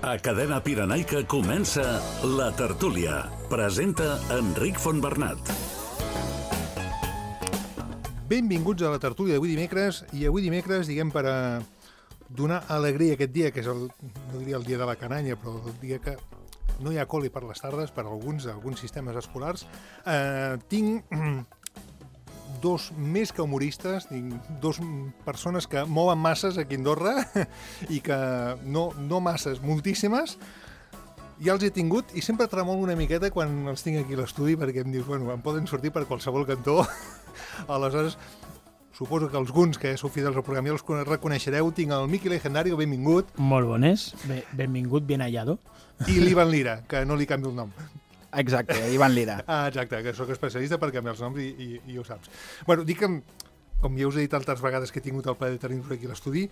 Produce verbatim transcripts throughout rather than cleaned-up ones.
A Cadena Pirenaica comença La Tertúlia. Presenta Enric Fontbernat. Benvinguts a La Tertúlia d'avui dimecres, i avui dimecres, diguem, per a donar alegria aquest dia, que és el, no diria el dia de la cananya, però el dia que no hi ha col·li per les tardes, per alguns, alguns sistemes escolars, eh, tinc dos més que humoristes, tinc dos persones que mouen masses aquí a Andorra i que no, no masses, moltíssimes. Ja els he tingut i sempre tremolo una miqueta quan els tinc aquí a l'estudi perquè em dius, bueno, em poden sortir per qualsevol cantó. Aleshores, suposo que alguns que sou fidels al programa ja els reconeixereu. Tinc el Miqui Legendario, benvingut. Molt bones, Be benvingut, bien hallado. I l'Ivan Lira, que no li canvio el nom. Exacte, Ivan Lira. Ah, exacte, que sóc especialista per canviar els noms i, i, i ho saps. Bueno, dic que, com ja us he dit altres vegades que he tingut el plaer de tenir-vos aquí a l'estudi,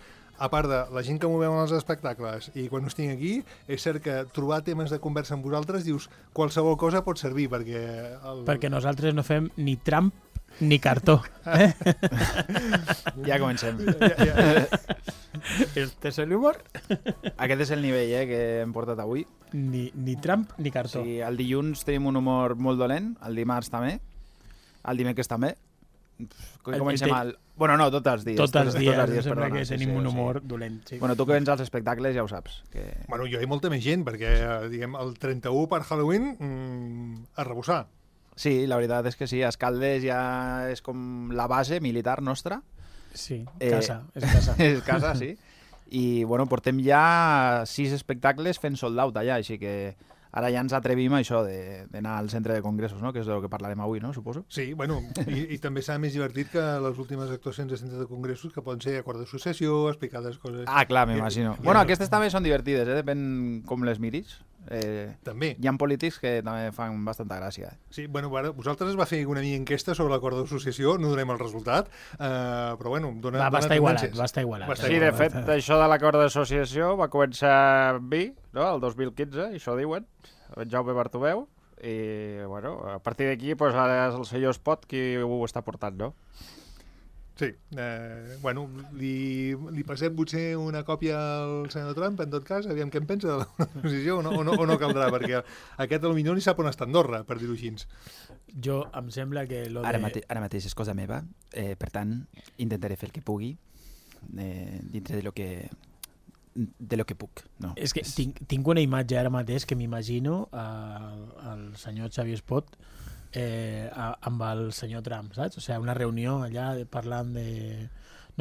a part de la gent que movem en els espectacles i quan us tinc aquí, és cert que trobar temes de conversa amb vosaltres, dius, qualsevol cosa pot servir, perquè... El... Perquè nosaltres no fem ni Trump ni cartó. Eh? Ja comencem. Ja, ja, ja. Este és el humor. Aquest és el nivell eh, que hem portat avui. Ni, ni Trump ni cartó. Sí, el dilluns tenim un humor molt dolent, el dimarts també, el dimecres també. El- Comencem el al... Bueno, no, tots els dies. Tots els dies, tots els em sembla perdona, que sí, tenim sí, un sí. humor dolent. Sí. Bueno, tu que vens als espectacles ja ho saps. Que... Bueno, jo hi ha molta més gent, perquè, diguem, el trenta-u per Halloween, mmm, a rebussar. Sí, la veritat és que sí, Escaldes ja és com la base militar nostra. Sí, Eh, casa, és casa. És casa, sí. I, bueno, portem ja sis espectacles fent sold out allà, així que ara ja ens atrevim a això de- d'anar al centre de congressos, no? Que és del que parlarem avui, no? Suposo. Sí, bueno, i, i també serà més divertit que les últimes actuacions de centre de congressos, que poden ser acord d'associació, explicades coses... Ah, clar, m'imagino. I- i- Bueno, i- aquestes també són divertides, eh? Depèn com les miris. Eh, També. hi ha polítics que també fan bastanta gràcia. Eh? Sí, bueno, ara, vosaltres es va fer una mica enquesta sobre l'acord d'associació, no donem el resultat, eh, però bueno, dona, Va, va dona estar igualat, tendències. va estar igualat. Va estar Sí, de igualat. fet, això de l'acord d'associació va començar amb mi, no?, el dos mil quinze, i això diuen, el Jaume Bartomeu, i, bueno, a partir d'aquí, pues, ara és el senyor Espot qui ho està portant, no? Sí, eh, bueno, li, li passem potser una còpia al senyor Trump, en tot cas, aviam què en pensa de la posició, o no, o no, o no caldrà, perquè aquest potser ni sap on està Andorra, per dir-ho així. Jo em sembla que lo Ara, de... mate ara mateix és cosa meva, eh, per tant, intentaré fer el que pugui eh, dintre de lo que de lo que puc. No. És que tinc, tinc una imatge ara mateix que m'imagino al, al senyor Xavier Espot eh, a, amb el senyor Trump, saps? O sigui, una reunió allà de, parlant de...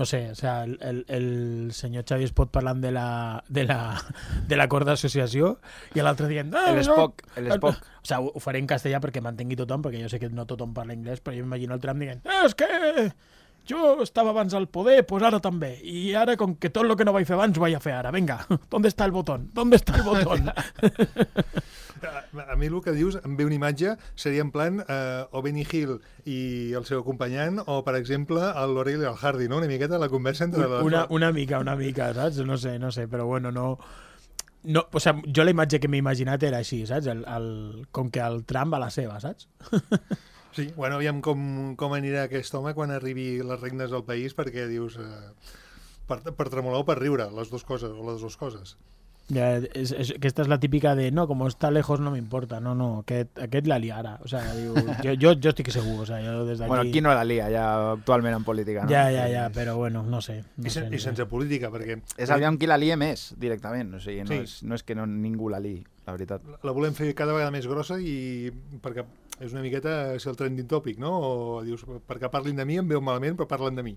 No sé, o sea, el, el, el senyor Xavier Espot parlant de la de la de l'acord d'associació i l'altre dient... Ah, El Spock, el Spock. O sea, ho, ho faré en castellà perquè m'entengui tothom, perquè jo sé que no tothom parla anglès, però jo m'imagino el Trump dient ah, és que jo estava abans al poder, pues ara també. I ara, com que tot el que no vaig fer abans, ho vaig a fer ara. Vinga, ¿dónde está el botón? ¿Dónde está el botón? A, a mi el que dius, em ve una imatge, seria en plan eh, o Benny Hill i el seu acompanyant, o, per exemple, el Laurel i el Hardy, no? Una miqueta la conversa entre les... Una, una mica, una mica, saps? No sé, no sé, però bueno, no... no o sea, jo la imatge que m'he imaginat era així, saps? El, el, com que el Trump a la seva, saps? Sí, bueno, aviam com, com anirà aquest home quan arribi les regnes al país, perquè dius... Eh, per, per tremolar o per riure, les dues coses, o les dues coses. Ja, és, és, aquesta és la típica de no, com està lejos no m'importa, no, no, aquest, aquest la liarà, o sea, diu, jo, jo, jo estic segur, o sea, jo des d'aquí... Bueno, qui no la lia ja actualment en política, no? Ja, ja, ja, però bueno, no sé. No I, sen, sé, I sense política, perquè... És aviam qui la lia més, directament. O sigui, no, Sí. és, no és que no, ningú la liï, la veritat. La volem fer cada vegada més grossa i perquè és una miqueta ser el trending topic, no? O dius, perquè parlin de mi em veu malament, però parlen de mi.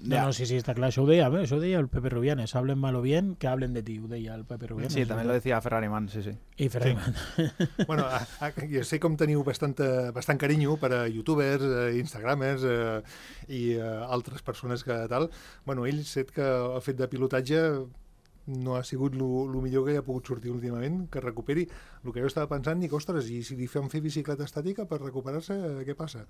No, Ja. no, sí, sí, está claro. Això ho deia, eh? Això ho deia el Pepe Rubianes. Hablen mal o bien, que hablen de ti, ho deia el Pepe Rubianes. Sí, també lo decía Ferrari Man, sí, sí. I Ferrari Sí. Man. Bueno, a, a, jo sé com teniu bastanta, bastant carinyo per a youtubers, eh, instagramers eh, i eh, altres persones que tal. Bueno, ell set que el fet de pilotatge no ha sigut el millor que hi ha pogut sortir últimament, que recuperi. El que jo estava pensant, dic, ostres, i si li fem fer bicicleta estàtica per recuperar-se, què passa?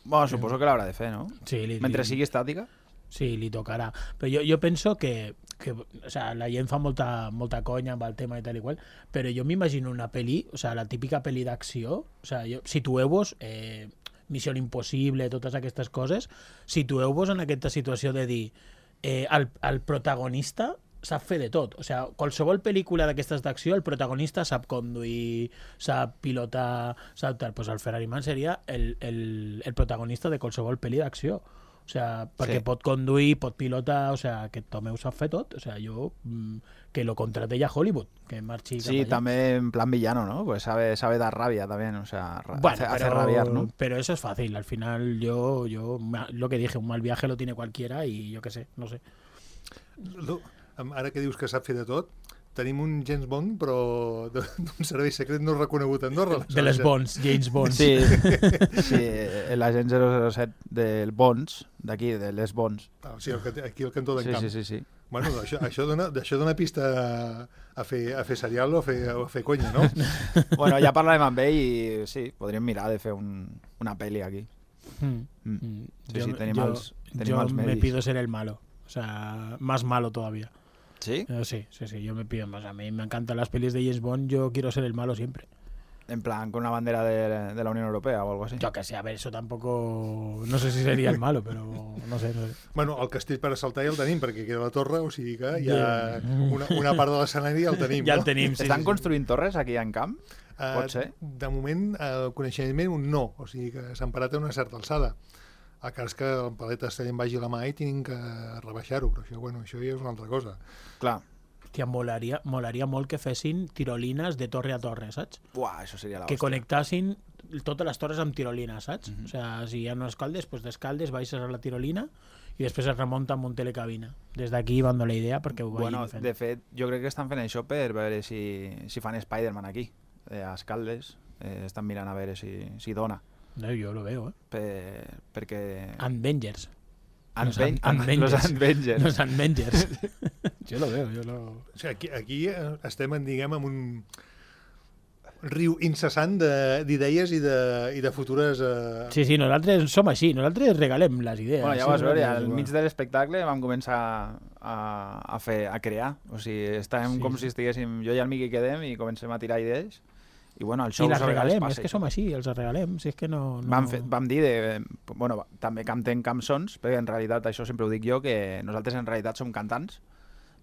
Bueno, suposo que l'haurà de fer, no? Sí, li, Mentre li, sigui estàtica. sí, li tocarà. Però jo, jo penso que, que o sea, la gent fa molta, molta conya amb el tema i tal i qual, però jo m'imagino una pel·li, o sea, la típica pel·li d'acció, o sea, jo, situeu-vos... Eh, Missió Impossible, totes aquestes coses, situeu-vos en aquesta situació de dir eh, el, el protagonista sap fer de tot. O sigui, qualsevol pel·lícula d'aquestes d'acció, el protagonista sap conduir, sap pilotar, sap tal. Pues el Ferrari Man seria el, el, el protagonista de qualsevol pel·li d'acció. O sigui, perquè Sí. pot conduir, pot pilotar, o sigui, aquest home ho sap fer tot. O sigui, jo, mm, que lo contraté a Hollywood, que marxi cap Sí, allà. también en plan villano, ¿no? Pues sabe, sabe dar rabia también, o sea, ra- Bueno, hace, hace pero, rabiar, ¿no? pero eso es fácil. Al final, yo, yo, ma- lo que dije, un mal viaje lo tiene cualquiera y yo qué sé, no sé. Lo- Ara que dius que sap fer de tot, tenim un James Bond, però de- d'un servei secret no reconegut a Andorra. De les Bonds, James Bond. Sí, sí, l'agent zero zero set del Bonds, d'aquí, de les Bonds. Ah, sí, el, que- aquí al cantó d'en Sí, Camp. sí, sí, sí. Bueno, això, això, dona, això dona pista a, a, fer, a fer serial o a fer, o a fer conya, no? Bueno, ja parlarem amb ell i sí, podríem mirar de fer un, una pel·li aquí. Mm. Mm. Mm. Sí, sí, tenim yo, els- tenim yo els me medis. pido ser el malo. O sea, más malo todavía. ¿Sí? Eh, sí, sí, sí, yo me pido más. A mí me encantan las pelis de James Bond, yo quiero ser el malo siempre. En plan, con una bandera de, de la Unión Europea o algo así. Yo que sé, a ver, eso tampoco... No sé si sería el malo, pero no sé, no sé. Bueno, el castell per assaltar ja el tenim, perquè queda la torre, o sigui que ja una, una part de l'escenari ja el tenim, Ja no? el tenim, sí, Estan sí, sí. construint torres aquí en Camp? Eh, Pot ser? De moment, el coneixement un no, o sigui que s'han parat a una certa alçada. A cas que el palet està en vagi la mà i tinguin que rebaixar-ho, però això, bueno, això ja és una altra cosa. Clar. Hòstia, molaria, molaria molt que fessin tirolines de torre a torre, saps? Buah, això seria la Que hòstia. connectassin totes les torres amb tirolines, saps? Mhm. O sigui, si hi ha unes caldes, pues descaldes, baixes a la tirolina i després es remunta amb un telecabina. Des d'aquí van la idea perquè ho vagin Bueno, fent. de fet, jo crec que estan fent això per veure si, si fan Spider-Man aquí. Eh, a Escaldes eh, estan mirant a veure si, si dona. No, jo lo veo, eh? Per, perquè... Avengers. Los Los An- Avengers. Los Avengers. Los Avengers. jo lo veo, jo lo... O sigui, aquí, aquí eh, estem, en, diguem, en un riu incessant de- d'idees i, de, i de futures... Eh... Sí, sí, nosaltres som així, nosaltres regalem les idees. Bueno, ja sí, vas veure, nosaltres al igual. mig de l'espectacle vam començar a, a, fer, a crear. O sigui, estàvem Sí, com sí. si estiguéssim jo i el Miqui quedem i comencem a tirar idees. I bueno, el show I les a vegades regalem, passa és que això. som així, els regalem, si és que no... no... Vam, fer, vam dir, de, bueno, també cantem cançons, perquè en realitat això sempre ho dic jo, que nosaltres en realitat som cantants,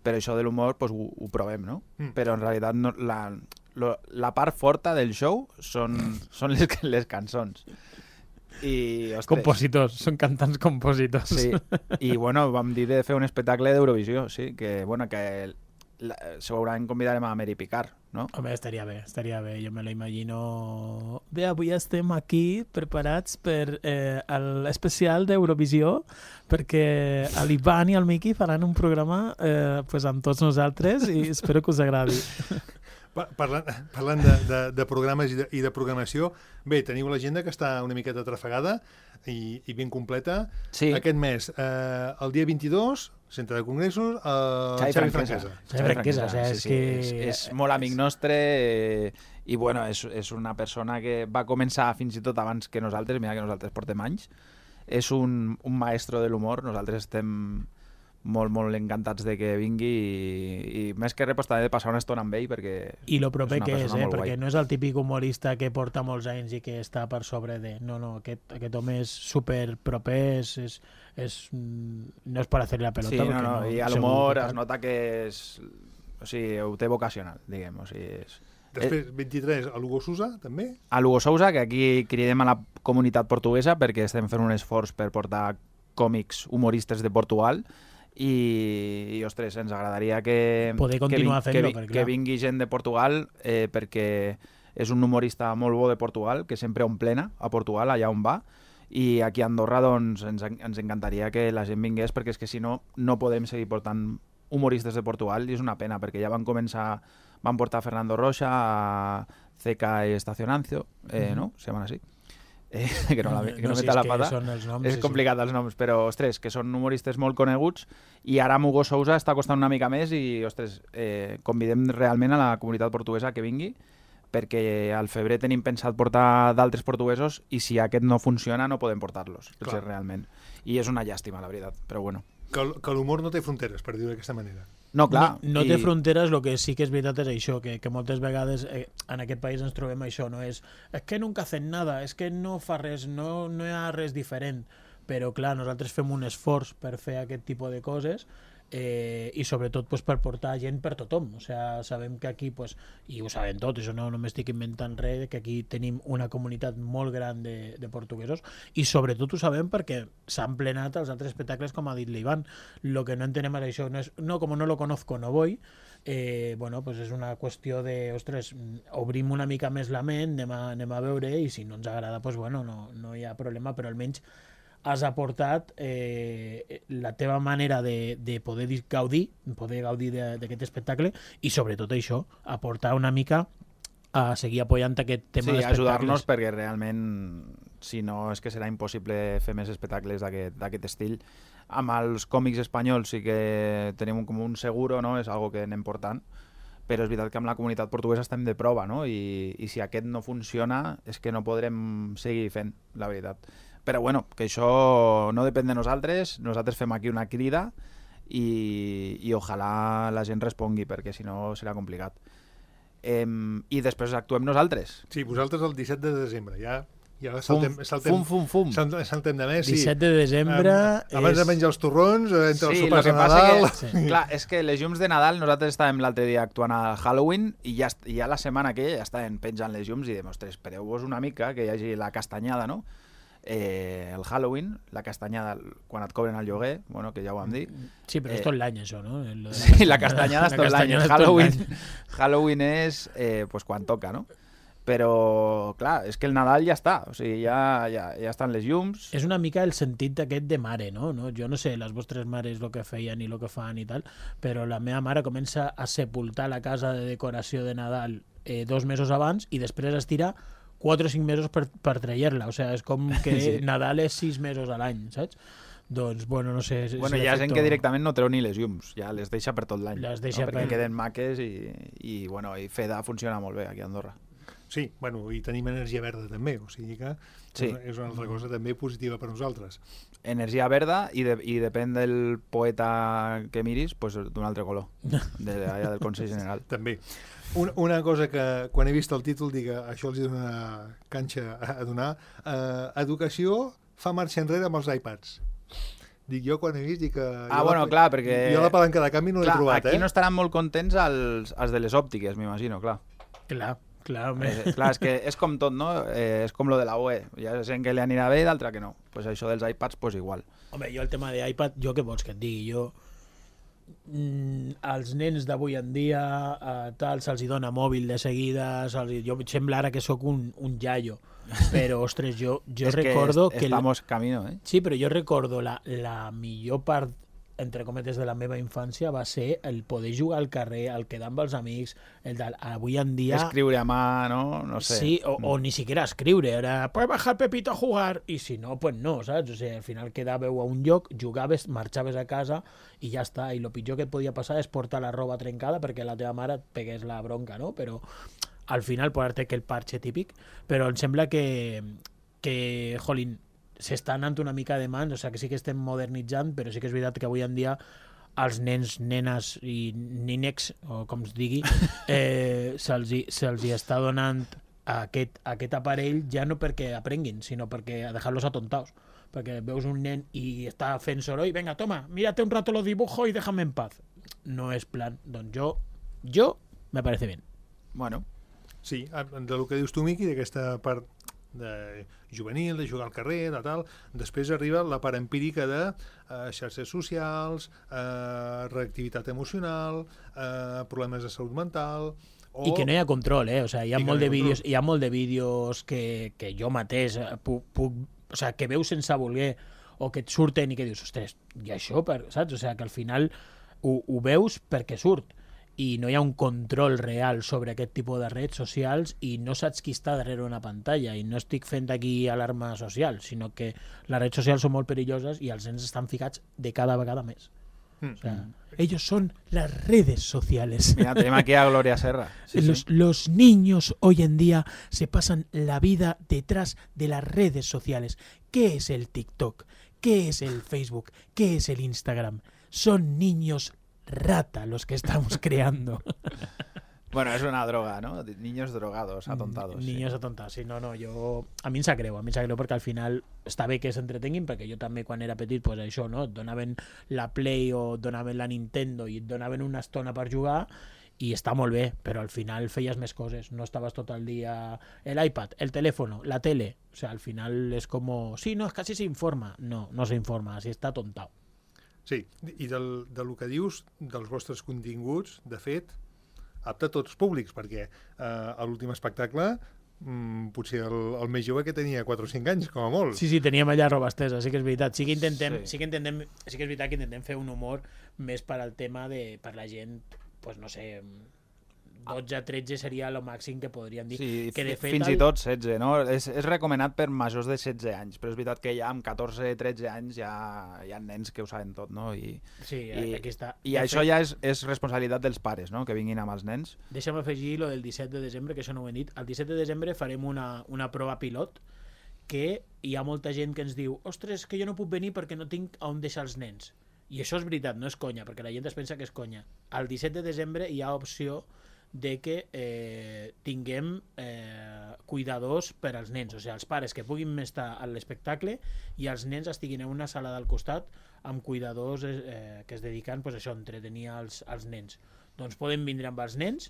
però això de l'humor pues, ho, ho provem, no? Mm. Però en realitat no, la, lo, la part forta del show són, són les, les cançons. I, ostres, Compositors, són cantants compositors. sí. I bueno, vam dir de fer un espectacle d'Eurovisió, sí, que bueno, que la, segurament convidarem a Mary Picard, no? Home, estaria bé, estaria bé, jo me lo imagino... Bé, avui estem aquí preparats per eh, l'especial d'Eurovisió, perquè l'Ivan i el Miqui faran un programa eh, pues amb tots nosaltres i espero que us agradi. Pa- Parlant, parlant de, de, de programes i de, i de programació, bé, teniu l'agenda que està una miqueta trafegada i, i ben completa. Sí. Aquest mes, eh, el dia vint-i-dos, Centre de Congressos, el Xavi Xavi Franquesa. Franquesa. Xavi Franquesa, o sea, és que- És, és molt amic nostre eh, i bueno, és, és una persona que va començar fins i tot abans que nosaltres, mira que nosaltres portem anys. És un, un maestro de l'humor, nosaltres estem molt, molt encantats de que vingui i, i més que res pues, també de passar una estona amb ell perquè I lo proper és una que és, persona eh? molt Perquè guai. no és el típic humorista que porta molts anys i que està per sobre de... No, no, aquest, aquest home és super proper, és, és, és, mm, no és per fer la pelota. Sí, no, perquè no, i a segur l'humor que es tal. nota que és... O sigui, ho té vocacional, diguem. O sigui, és... Després, vint-i-tres, a Lugo Sousa, també. A Lugo Sousa, que aquí cridem a la comunitat portuguesa perquè estem fent un esforç per portar còmics humoristes de Portugal i, i ostres, ens agradaria que, Poder continuar que, fent-lo, vi- perquè, que clar. vingui gent de Portugal eh, perquè és un humorista molt bo de Portugal, que sempre omplena a Portugal, allà on va, i aquí a Andorra doncs, ens, en- ens encantaria que la gent vingués perquè és que si no, no podem seguir portant humoristes de Portugal i és una pena perquè ja van començar, van portar a Fernando Rocha, a C K Estacionancio, eh, ¿no? Se llaman así. Eh, que no, la, que no, si meta és la que pata. són els noms, És sí, complicat els noms, però, ostres, que són humoristes molt coneguts i ara amb Hugo Sousa està costant una mica més i, ostres, eh, convidem realment a la comunitat portuguesa que vingui perquè al febrer tenim pensat portar d'altres portuguesos i si aquest no funciona no podem portar-los, potser realment. I és una llàstima, la veritat, però bueno. Que, l- que l'humor no té fronteres, per dir-ho d'aquesta manera. No, clar. No, no i- té fronteres, el que sí que és veritat és això, que, que moltes vegades eh, en aquest país ens trobem això, no és és que nunca hacen nada, és que no fa res, no, no hi ha res diferent, però clar, nosaltres fem un esforç per fer aquest tipus de coses eh, i sobretot pues, per portar gent per tothom. O sea, sabem que aquí, pues, i ho sabem tot, això no, no m'estic inventant res, que aquí tenim una comunitat molt gran de, de portuguesos i sobretot ho sabem perquè s'han plenat els altres espectacles, com ha dit l'Ivan. Lo que no entenem és això, no, és, no com no lo conozco no voy, eh, bueno, pues és una qüestió de, ostres, obrim una mica més la ment, anem a, anem a veure i si no ens agrada, pues bueno, no, no hi ha problema, però almenys has aportat eh, la teva manera de, de poder gaudir, poder gaudir d'aquest espectacle i sobretot això, aportar una mica a seguir apoyant aquest tema sí, d'espectacles. Sí, ajudar-nos perquè realment, si no, és que serà impossible fer més espectacles d'aquest estil. Amb els còmics espanyols sí que tenim com un seguro, no? És algo que anem portant, però és veritat que amb la comunitat portuguesa estem de prova, no? I, i si aquest no funciona és que no podrem seguir fent, la veritat. Però bueno, que això no depèn de nosaltres, nosaltres fem aquí una crida i, i ojalà la gent respongui, perquè si no serà complicat. Eh, I després actuem nosaltres. Sí, vosaltres el disset de desembre, ja, ja saltem, saltem, fum, fum, fum. saltem, saltem de mes. Sí. disset de desembre... Um, abans és... de menjar els torrons, entre els sí, sopars de Nadal... Que, sí. Clar, és que les llums de Nadal, nosaltres estàvem l'altre dia actuant a Halloween i ja, ja la setmana aquella ja estàvem penjant les llums i dèiem, ostres, espereu-vos una mica que hi hagi la castanyada, no? Eh, el Halloween, la castanyada quan et cobren el lloguer, bueno, que ja ho vam dir. Sí, però eh, és tot l'any això, no? La sí, la castanyada és tot l'any. Halloween, Halloween és eh, pues, quan toca, no? Però, clar, és que el Nadal ja està, o sigui, ja, ja, ja estan les llums. És una mica el sentit d'aquest de mare, no? no? Jo no sé les vostres mares el que feien i el que fan i tal, però la meva mare comença a sepultar la casa de decoració de Nadal eh, dos mesos abans i després es tira quatre o cinc mesos per, per trayer-la, o sigui, és com que sí. Nadal és sis mesos a l'any, saps? Doncs, bueno, no sé... Bueno, si hi ha efecto... gent que directament no treu ni les llums, ja les deixa per tot l'any, Les deixa no? perquè per... queden maques i, i, bueno, i Feda funciona molt bé aquí a Andorra. Sí, bueno, i tenim energia verda també, o sigui que sí. és una altra cosa també positiva per nosaltres. Energia verda i, de, i depèn del poeta que miris, pues, d'un altre color, de, allà del Consell General. També. Una, una cosa que quan he vist el títol dic això els he donat canxa a donar, eh, educació fa marxa enrere amb els iPads. Dic, jo quan he vist dic que... Ah, jo bueno, la, clar, perquè... Jo la palanca de canvi no l'he trobat, aquí eh? no estaran molt contents els, els de les òptiques, m'imagino, clar. Clar, clar, eh, clar, és que és com tot, no? Eh, és com lo de la U E. Hi ha gent que li anirà bé i d'altra que no. Pues això dels iPads, pues igual. Home, jo el tema d'iPad, jo què vols que et digui? Jo... Mm, els nens d'avui en dia eh, tal, se'ls hi dona mòbil de seguida, se'ls... jo sembla ara que sóc un, un iaio, però ostres, jo, jo recordo que... Estamos que camino, eh? Sí, però jo recordo la, la millor part, entre cometes, de la meva infància va ser el poder jugar al carrer, el quedar amb els amics, el de, avui en dia... Escriure a mà, no? No sé. Sí, o, o ni siquiera escriure, era, puedes bajar Pepito a jugar, i si no, pues no, saps? O sigui, al final quedàveu a un lloc, jugaves, marxaves a casa i ja està, i el pitjor que et podia passar és portar la roba trencada perquè la teva mare et pegués la bronca, no? Però al final posar-te aquell parche típic, però em sembla que, que jolín, s'està anant una mica de mans, o sigui que sí que estem modernitzant, però sí que és veritat que avui en dia els nens, nenes i nínecs, o com es digui, eh, se'ls hi, se'ls hi està donant aquest, aquest aparell ja no perquè aprenguin, sinó perquè a dejar-los atontados. Perquè veus un nen i està fent soroll, venga, toma, mírate un rato los dibujos y déjame en paz. No és plan. Doncs jo, jo me parece bien. Bueno. Sí, de lo que dius tu, Miqui, d'aquesta part de juvenil, de jugar al carrer, de tal. Després arriba la part empírica de eh, xarxes socials, eh, reactivitat emocional, eh, problemes de salut mental... O... I que no hi ha control, eh? O sigui, hi ha, molt no de hi vídeos, hi ha molt de vídeos que, que jo mateix puc, puc... O sigui, que veus sense voler o que et surten i que dius, ostres, i això, per... saps? O sigui, que al final ho, ho veus perquè surt. I no hi ha un control real sobre aquest tipus de redes socials i no saps qui està darrere una pantalla, i no estic fent aquí alarma social, sinó que les redes socials són molt perilloses i els nens estan ficats de cada vegada més. Mm. O sea, ellos son las redes sociales. Mira, tenemos aquí a Gloria Serra. Sí, los, sí. los niños hoy en día se pasan la vida detrás de las redes sociales. ¿Qué es el TikTok? ¿Qué es el Facebook? ¿Qué es el Instagram? Son niños rata los que estamos creando. Bueno, és una droga, no? Niños drogados, atontados. Niños sí. atontados, sí, no, no, jo... A mi em sap greu, a mi em sap greu perquè al final està bé que s'entretenguin, perquè jo també quan era petit, pues això, no? Et donaven la Play o et donaven la Nintendo i et donaven una estona per jugar i està molt bé, però al final feies més coses, no estaves tot el dia... L'iPad, el telèfon, la tele, o sea, al final és com... Sí, no, és que així s'informa. No, no s'informa, així està tontau. Sí, i del, del que dius, dels vostres continguts, de fet, apte a tots públics, perquè eh, a l'últim espectacle mm, potser el, el més jove que tenia quatre o cinc anys, com a molt. Sí, sí, teníem allà roba estesa, sí que és veritat. Sí que intentem, Sí. sí que intentem, sí que és veritat que intentem fer un humor més per al tema de, per la gent, pues no sé, dotze tretze seria el màxim que podríem dir. Sí, que de fet fins el... i tot setze, no? És, és recomanat per majors de setze anys, però és veritat que ja amb catorze tretze anys ja hi ha nens que ho saben tot, no? I, Sí, i, aquí està. i De això fet, ja és, és responsabilitat dels pares, no? Que vinguin amb els nens. Deixa'm afegir lo del disset de desembre, que això no ho hem dit. El disset de desembre farem una, una prova pilot que hi ha molta gent que ens diu ostres, que jo no puc venir perquè no tinc on deixar els nens. I això és veritat, no és conya, perquè la gent es pensa que és conya. El disset de desembre hi ha opció de que eh, tinguem eh, cuidadors per als nens, o sigui, els pares que puguin estar a l'espectacle i els nens estiguin en una sala del costat amb cuidadors eh, que es dediquen pues, això, a entretenir els, els nens. Doncs poden vindre amb els nens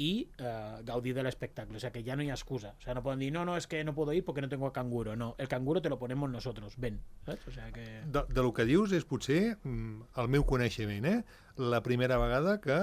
i eh, gaudir de l'espectacle, o sea que ya no hay excusa, o sea, no pueden decir, no, no, es que no puedo ir porque no tengo canguro, no, el canguro te lo ponemos nosotros, ven, ¿sabes? O sea que... De, de lo que dius és potser, mm, el meu coneixement, eh? La primera vegada que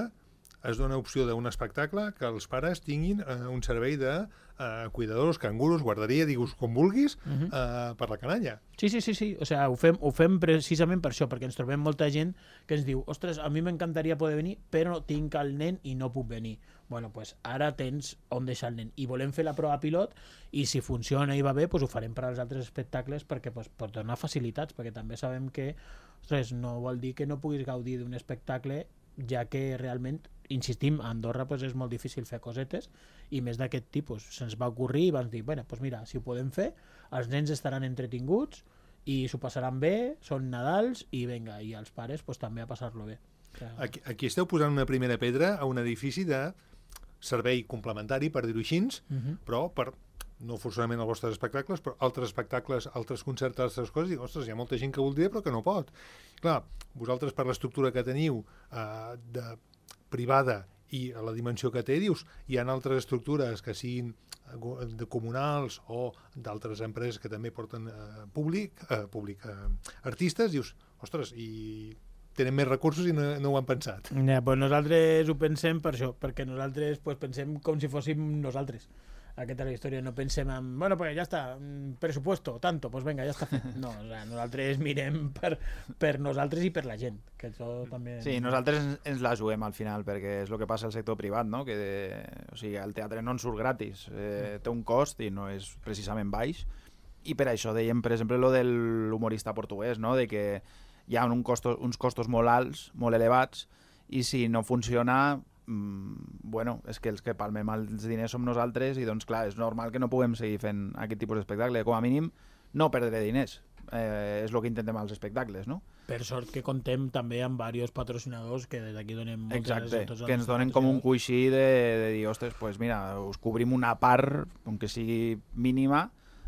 es dona opció d'un espectacle que els pares tinguin eh, un servei de eh, cuidadors, canguros, guarderia, digues com vulguis, Uh-huh. eh, per la canalla. Sí, sí, sí, sí, o sea, ho fem, ho fem precisament per això, perquè ens trobem molta gent que ens diu, ostres, a mi m'encantaria poder venir, però tinc el nen i no puc venir. Bueno, pues ara tens on deixar el nen. I volem fer la prova pilot i si funciona i va bé, pues ho farem per als altres espectacles perquè pues, per donar facilitats, perquè també sabem que ostres, no vol dir que no puguis gaudir d'un espectacle, ja que realment, insistim, a Andorra pues, és molt difícil fer cosetes i més d'aquest tipus. Se'ns va ocorrir i vam dir, bueno, pues mira, si ho podem fer, els nens estaran entretinguts i s'ho passaran bé, són Nadals i venga, i els pares pues, també a passar-lo bé. O sea, Aquí, aquí esteu posant una primera pedra a un edifici de servei complementari, per dir-ho així, uh-huh. però per no forçosament els vostres espectacles, però altres espectacles, altres concerts, altres coses, dic, ostres, hi ha molta gent que voldria però que no pot. Clar, vosaltres per l'estructura que teniu eh, de privada i a la dimensió que té, dius, hi ha altres estructures que siguin de comunals o d'altres empreses que també porten eh, públic, eh, públic eh, artistes, dius, ostres, i tenen més recursos i no, no ho han pensat. Ja, pues nosaltres ho pensem per això, perquè nosaltres pues, pensem com si fóssim nosaltres. Aquesta és la història, no pensem en, bueno, pues ja està, presupuesto, tanto, pues venga, ja està fet. No, o sea, nosaltres mirem per, per nosaltres i per la gent, que això també... Sí, nosaltres ens, ens la juguem al final, perquè és el que passa al sector privat, no? Que de, o sigui, el teatre no en surt gratis, eh, té un cost i no és precisament baix, i per això dèiem, per exemple, lo de l'humorista portuguès, no? De que hi ha un costos, uns costos molt alts, molt elevats, i si no funciona... bueno, és que els que palmem els diners som nosaltres i doncs clar, és normal que no puguem seguir fent aquest tipus d'espectacle, com a mínim no perdre diners, eh, és el que intentem als espectacles, no? Per sort que contem també amb diversos patrocinadors que des d'aquí donem moltes Exacte, gràcies a tots els que ens donen com un patrocinadors. coixí de, de dir, ostres, pues mira, us cobrim una part, aunque sigui mínima,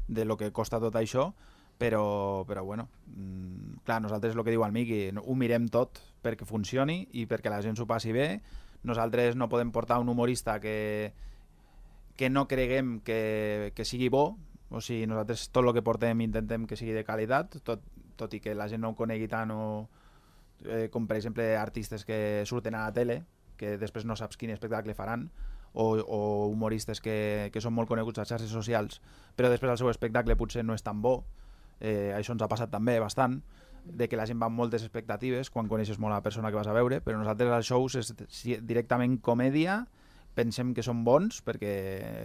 de lo que costa tot això, però, però bueno, mm, clar, nosaltres el que diu el Miqui, ho mirem tot perquè funcioni i perquè la gent s'ho passi bé. Nosaltres no podem portar un humorista que, que no creguem que, que sigui bo, o sigui, nosaltres tot el que portem intentem que sigui de qualitat, tot, tot i que la gent no ho conegui tant, o, eh, com per exemple artistes que surten a la tele, que després no saps quin espectacle faran, o, o humoristes que, que són molt coneguts a xarxes socials, però després el seu espectacle potser no és tan bo, eh, això ens ha passat també bastant, de que la gent va amb moltes expectatives quan coneixes molt a la persona que vas a veure, però nosaltres als shows és directament comèdia, pensem que són bons perquè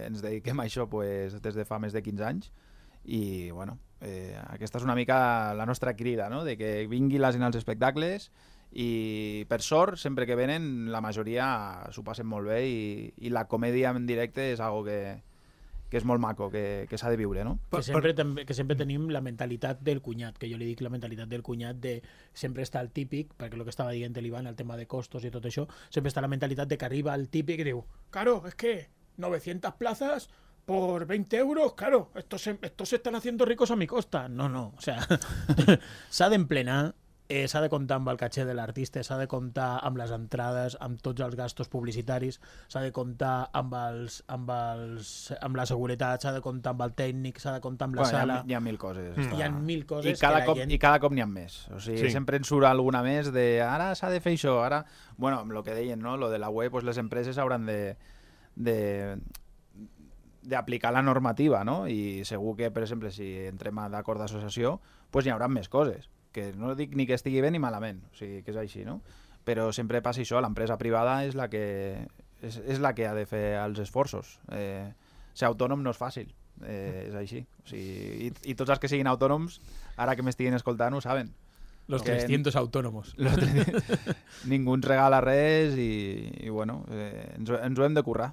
ens dediquem a això pues, des de fa més de quinze anys i bueno, eh, aquesta és una mica la nostra crida, no? De que vingui la gent als espectacles i per sort, sempre que venen la majoria s'ho passen molt bé i, i la comèdia en directe és algo que, que és molt maco, que, que s'ha de viure, no? Que sempre, també, que sempre tenim la mentalitat del cunyat, que jo li dic la mentalitat del cunyat de sempre està el típic, perquè el que estava dient l'Ivan, el tema de costos i tot això, sempre està la mentalitat de que arriba el típic i diu, claro, es que novecientas plazas por veinte euros, claro, estos se, estos se están haciendo ricos a mi costa. No, no, o sea, s'ha d'emplenar, eh, s'ha de comptar amb el caché de l'artista, s'ha de comptar amb les entrades, amb tots els gastos publicitaris, s'ha de comptar amb, els, amb, els, amb la seguretat, s'ha de comptar amb el tècnic, s'ha de comptar amb la bueno, sala... Hi ha, hi ha mil coses. Mm. Hi ha mil coses I cada, que la cop, gent... I cada cop n'hi ha més. O sigui, Sí. sempre ens surt alguna més de ara s'ha de fer això, ara... Bueno, amb el que deien, no? Lo de la web, pues les empreses hauran de... de d'aplicar la normativa, no? I segur que, per exemple, si entrem a d'acord d'associació, pues hi haurà més coses, que no dic ni que estigui bé ni malament, o sigui, que és així, no? Però sempre passa això, l'empresa privada és la que és, és la que ha de fer els esforços. Eh, ser autònom no és fàcil, eh, és així. O sigui, i, I tots els que siguin autònoms, ara que m'estiguin escoltant, ho saben. Los que trescientos autónomos. Los ningú ens regala res i, i bueno, eh, ens, ens ho hem de currar.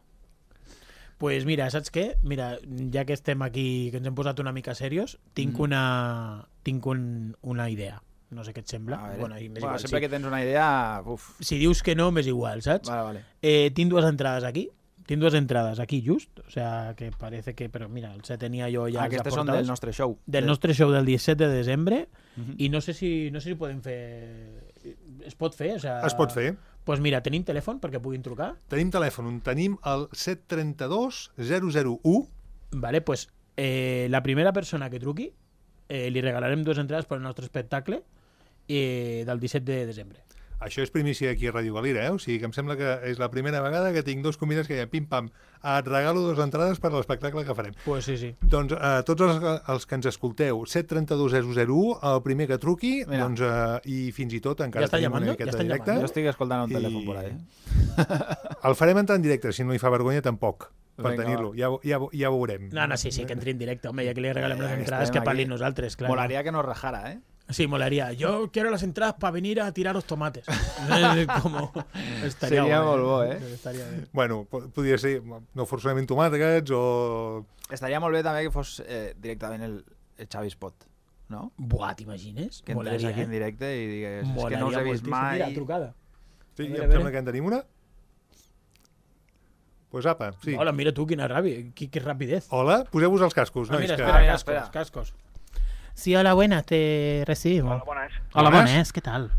Pues mira, saps què? Mira, ja que estem aquí, que ens hem posat una mica serios, tinc Mm. una tinc un, una idea. No sé què et sembla. A veure. Bueno, i m'és Bueno, igual, sempre sí. que tens una idea... Uf. Si dius que no, m'és igual, saps? Vale, vale. Eh, tinc dues entrades aquí. Tinc dues entrades aquí just. O sea, que parece que... Però mira, els tenia jo ja... Ah, aquestes són del nostre show. Del nostre show del disset de desembre. Uh-huh. I no sé si no sé si podem fer... Es pot fer? O sea... Es pot fer. Doncs pues mira, tenim telèfon perquè puguin trucar? Tenim telèfon, tenim el set tres dos zero zero u. Vale, pues eh, la primera persona que truqui eh, li regalarem dues entrades per al nostre espectacle eh, del disset de desembre. Això és primícia aquí a Ràdio Galera, eh? O sigui que em sembla que és la primera vegada que tinc dos convidats que ja pim-pam, et regalo dues entrades per a l'espectacle que farem. Pues sí, sí. Doncs eh, tots els, els que ens escolteu, set tres dos zero zero u, el primer que truqui, Mira. doncs, eh, i fins i tot encara Ja està tenim llamando? una miqueta Ja estan directe. llamando? Jo estic escoltant un I- telèfon por ahí. El farem entrar en directe, si no li fa vergonya tampoc, per Vinga, tenir-lo. Ja, ja, ja ho veurem. No, no, sí, sí, que entri en directe, home, ja que li regalem les Eh, entrades, estem que parlin aquí. nosaltres, clar. Molaria que nos rajara, ¿eh? Sí, molaría. Yo quiero las entradas para venir a tirar los tomates. Eh, Como... Estaria Seria guai. molt bo, eh? Estaria bé. Bueno, po- podria ser, no forçosament tomàquets o... Estaria molt bé també que fos eh, directament el, el Xavi Spot, no? Buah, t'imagines? Que entrés Molaria, aquí en eh? directe i digués, és que Molaria no us he vist moltíssim. mai... Mira, trucada. Sí, A veure, em a veure. sembla que en tenim una. Pues apa, sí. Hola, mira tu, quina ràbia, qui, qué rapidez. Hola, poseu-vos els cascos. Ah, nois, mira, que... espera, mira, cascos, espera. cascos. Sí, hola, buenas, te recibimos. Hola, bones. Hola, Bones. buenas, ¿qué tal?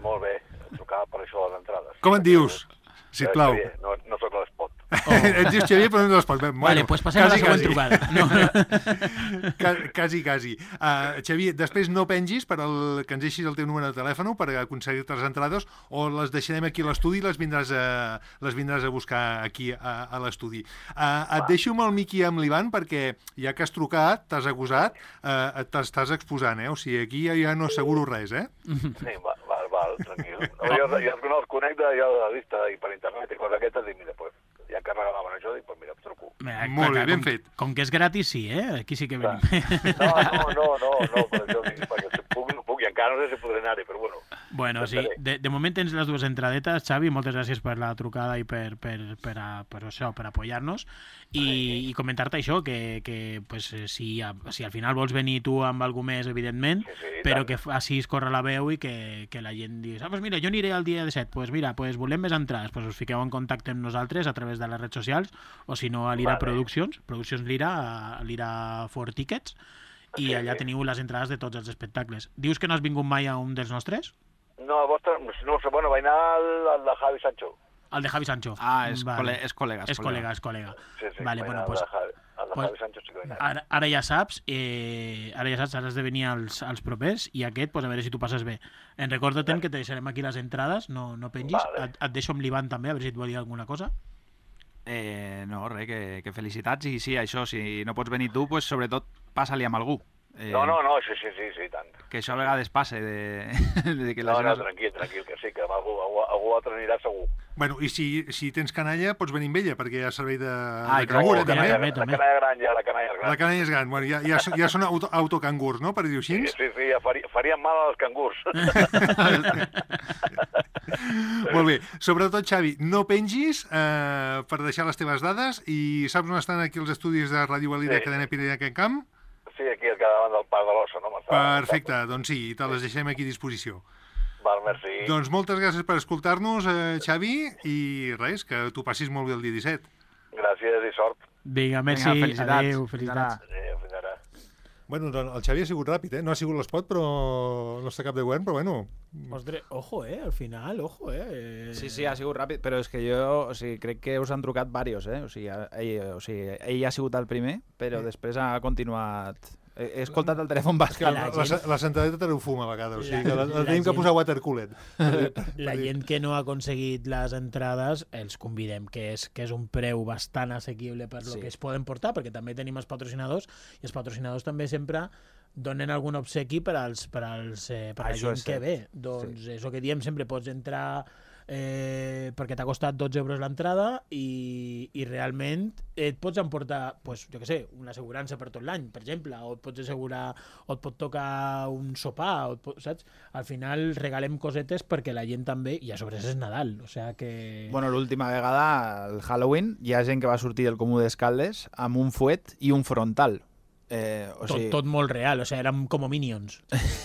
Molt bé, trucava per això de les entrades. Com et dius? Eh, Sisplau. Xavier, No, no sóc a l'espot. Oh. Et dius Xavier, però no es pot. Bueno, Vale, pues passem a la quasi, següent quasi. trucada. No. Ca- Quasi, quasi. Uh, Xavier, després no pengis per el, que ens deixis el teu número de telèfon per aconseguir-te les entrades o les deixarem aquí a l'estudi i les vindràs a, les vindràs a buscar aquí a, a l'estudi. Uh, et deixo amb el Miqui i amb l'Ivan perquè ja que has trucat, t'has acusat, uh, t'estàs exposant, eh? O sigui, aquí ja, ja no asseguro res, eh? Sí, val, val, val tranquil. No, jo, jo no els conec de, jo de la vista i per internet i coses aquestes, dic, mira, pues, ja que regalaven això, dic, pues mira, em truco. Mira, Molt bé, clar, ben com, fet. Com que és gratis, sí, eh? Aquí sí que venim. No, no, no, no, no, per això dic, perquè si puc, no puc, i encara no sé si podré anar-hi, però bueno. Bueno, sí, de, de moment tens les dues entradetes, Xavi, moltes gràcies per la trucada i per, per, per, a, per això, per apoyar-nos i, i comentar-te això, que, que pues, si, a, si al final vols venir tu amb algú més, evidentment, Sí, sí, però tant. que facis córrer la veu i que, que la gent digui, ah, pues mira, jo aniré el dia disset, pues mira, pues volem més entrades, pues us fiqueu en contacte amb nosaltres a través de les redes socials o si no a l'Ira Vale. Productions, Produccions Lira, a l'Ira for Tickets, i Sí, allà sí. teniu les entrades de tots els espectacles. Dius que no has vingut mai a un dels nostres? No, el vostre, no sé, bueno, vaig anar al, al de Javi Sancho. El de Javi Sancho. Ah, és, Vale. cole, és col·lega. És col·lega, és col·lega. Sí, sí, Vale, vaig bueno, anar pues, al de Javi, al de pues- Javi Sancho sí que vaig anar. ara, ara ja saps, eh, ara ja saps, ara has de venir als, als propers i aquest, pues, a veure si tu passes bé. En recorda-te'n que te deixarem aquí les entrades, no, no pengis. Vale. Et, et deixo amb l'Ivan també, a veure si et vol dir alguna cosa. Eh, no, res, que, que felicitats i sí, això, si no pots venir tu, pues, sobretot passa-li amb algú. Eh, No, no, no, sí, sí, sí, sí, tant. Que això a vegades passa de, de que la No, no, gent... tranquil, tranquil, que sí, que amb algú, algú, algú altre anirà segur. Bueno, i si, si tens canalla, pots venir amb ella, perquè hi ha servei de, Ah, de i clar, cangura, oh, també. canalla. La també. canalla gran ja, la canalla gran. La canalla és gran. Bueno, ja, ja, ja són auto, autocangurs, no?, per dir-ho així. Sí, sí, sí, ja faria, farien mal als cangurs. Molt bé. Sobretot, Xavi, no pengis eh, per deixar les teves dades i saps on estan aquí els estudis de Ràdio Valira, Sí. Cadena Pirineu Can Camp? Sí, aquí al davant del Parc de l'Ossa, no? Perfecte, doncs sí, te les deixem aquí a disposició. Val, merci. Doncs moltes gràcies per escoltar-nos, eh, Xavi, i res, que tu passis molt bé el dia disset. Gràcies i sort. Vinga, merci. Vinga, felicitats. Adéu, Fins felicitats. ara. Adéu, fins ara. Bueno, doncs el Xavi ha sigut ràpid, eh? No ha sigut l'espot, però no està cap de govern, però bueno... Ostres, ojo, eh, al final, ojo, eh. Sí, sí, ha sigut ràpid, però és que jo o sigui, crec que us han trucat diversos, eh? O sigui, ell, o sigui, ell ha sigut el primer, però després ha continuat... He, he escoltat el telèfon basc. La, la la, gent- la centraleta te ho fuma a vegades, o sigui que la, la La tenim que gent- posar watercooler. La gent que no ha aconseguit les entrades els convidem, que és, que és un preu bastant assequible per lo Sí. que es poden portar, perquè també tenim els patrocinadors, i els patrocinadors també sempre donen algun obsequi per als, per als, eh, per la Això gent és que cert. ve. Doncs sí. És el que diem, sempre pots entrar eh, perquè t'ha costat dotze euros l'entrada i, i realment et pots emportar, pues, jo què sé, una assegurança per tot l'any, per exemple, o et pots assegurar, o et pot tocar un sopar, o et pot, saps? Al final regalem cosetes perquè la gent també, i a sobre és Nadal, o sigui que... Bueno, l'última vegada, el Halloween, hi ha gent que va sortir del Comú d'Escaldes amb un fuet i un frontal. Eh, o tot, sigui, tot molt real, o sigui, érem com Minions.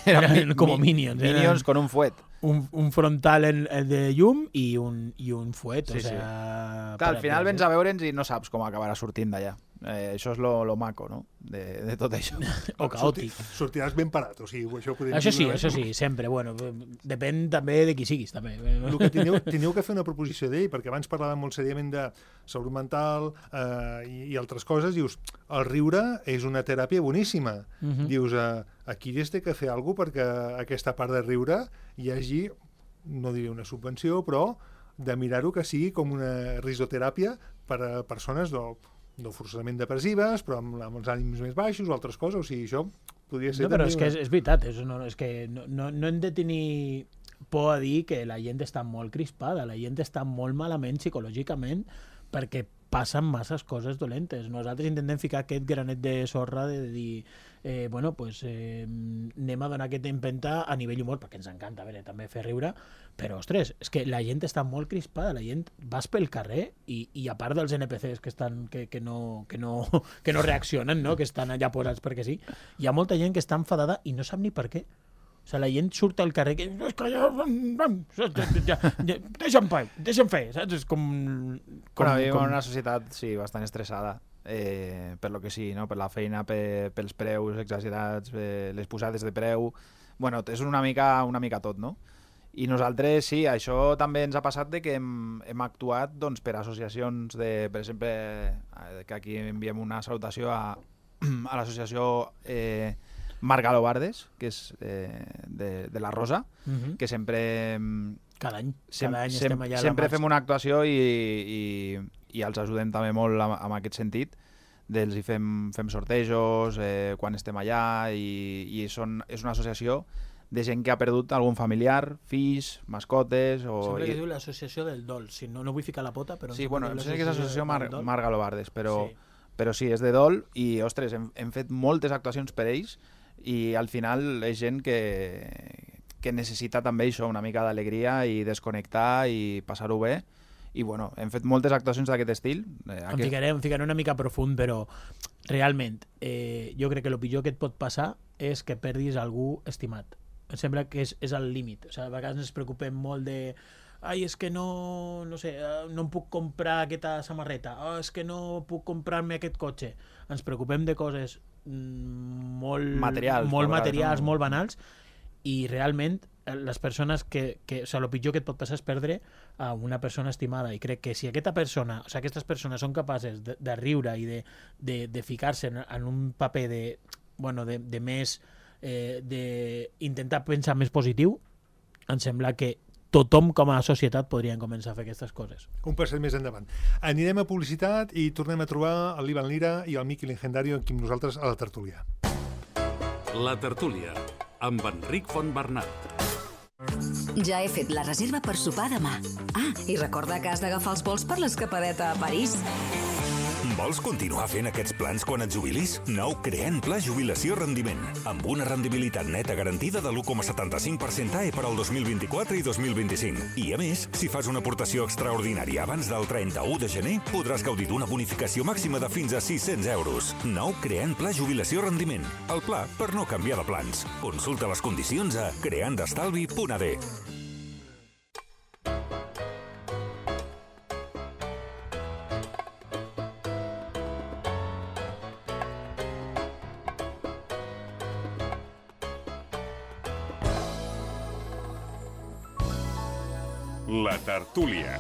eren eren mi- com mi- Minions. Minions eren con un fuet. un, un frontal en, en de llum i un, i un fuet, Sí, o sí. sigui... Clar, al final vens a veure'ns i no saps com acabarà sortint d'allà. Eh, això és lo, lo maco, no?, de, de tot això. O caòtic. Sortiràs ben parat, o sigui, això ho podem Això dir sí, una això vegada. sí, sempre. Bueno, depèn també de qui siguis, també. El que teniu, teniu que fer una proposició d'ell, perquè abans parlàvem molt seriament de salut mental eh, i, i altres coses. Dius, el riure és una teràpia boníssima. Uh -huh. Dius, eh, aquí es té que fer alguna cosa perquè aquesta part de riure hi hagi, no diré una subvenció, però de mirar-ho que sigui com una risoteràpia per a persones no, no forçosament depressives, però amb, amb els ànims més baixos o altres coses. O sigui, això podria ser... No, però també és que és, una- és veritat, és, no, és que no, no, no hem de tenir por a dir que la gent està molt crispada, la gent està molt malament psicològicament perquè passen masses coses dolentes. Nosaltres intentem ficar aquest granet de sorra de dir, eh, bueno, pues eh, anem a donar aquesta empenta a nivell humor, perquè ens encanta, a veure, també fer riure, però, ostres, és que la gent està molt crispada, la gent vas pel carrer i, i a part dels N P Cs que estan que, que, no, que, no, que no reaccionen, no? Que estan allà posats perquè sí, hi ha molta gent que està enfadada i no sap ni per què. O sigui, la gent surt al carrer que... És que ja, ja, ja, ja, deixa'm fer, deixa'm fer, saps? És com... com, Bueno, vivim com... en una societat, sí, bastant estressada, eh, per lo que sí, no? Per la feina, per, pels preus exagerats, per les posades de preu... Bueno, és una mica, una mica tot, no? I nosaltres, sí, això també ens ha passat de que hem, hem actuat doncs, per associacions de, per exemple, eh, que aquí enviem una salutació a, a l'associació eh, Margalo Bardes, que és eh, de, de la Rosa, Uh -huh. que sempre... em, Cada any, Sem cada any sem estem allà a la sempre marxa. fem una actuació i, i, i els ajudem també molt en, en aquest sentit. Dels hi fem, fem sortejos eh, quan estem allà i, i són, és una associació de gent que ha perdut algun familiar, fills, mascotes... O, Sempre i, que diu l'associació del dol. Si no, no vull ficar la pota, però... sí, sempre bueno, diu em sembla que és l'associació Mar del dol. Mar Galobardes, però, Sí. però sí, és de dol i, ostres, hem, hem fet moltes actuacions per ells i al final és gent que, que necessita també això, una mica d'alegria i desconnectar i passar-ho bé. I bueno, hem fet moltes actuacions d'aquest estil. Eh, Em aquest... ficaré, em ficaré una mica profund, però realment eh, jo crec que el pitjor que et pot passar és que perdis algú estimat. Em sembla que és, és el límit. O sigui, a vegades ens preocupem molt de ai, és que no, no sé, eh, no em puc comprar aquesta samarreta, oh, és que no puc comprar-me aquest cotxe. Ens preocupem de coses mm, molt Materials, molt, molt materials, no? molt banals, i realment eh, les persones que, que o sigui, el pitjor que et pot passar és perdre a una persona estimada, i crec que si aquesta persona, o sigui, aquestes persones són capaces de, de riure i de, de, de ficar-se en, en un paper de, bueno, de, de més eh, de intentar pensar més positiu, em sembla que tothom com a societat podrien començar a fer aquestes coses. Un passet més endavant. Anirem a publicitat i tornem a trobar el l'Ivan Lira i el Miqui Legendario aquí amb nosaltres a la tertúlia. La tertúlia, amb Enric Fontbernat. Ja he fet la reserva per sopar demà. Ah, i recorda que has d'agafar els vols per l'escapadeta a París. Vols continuar fent aquests plans quan et jubilis? Nou Creant Pla Jubilació Rendiment, amb una rendibilitat neta garantida de l'u coma setanta-cinc per cent A E per al dos mil vint-i-quatre i dos mil vint-i-cinc. I a més, si fas una aportació extraordinària abans del trenta-u de gener, podràs gaudir d'una bonificació màxima de fins a sis-cents euros. Nou Creant Pla Jubilació Rendiment, el pla per no canviar de plans. Consulta les condicions a creandestalvi punt a d. La tertúlia.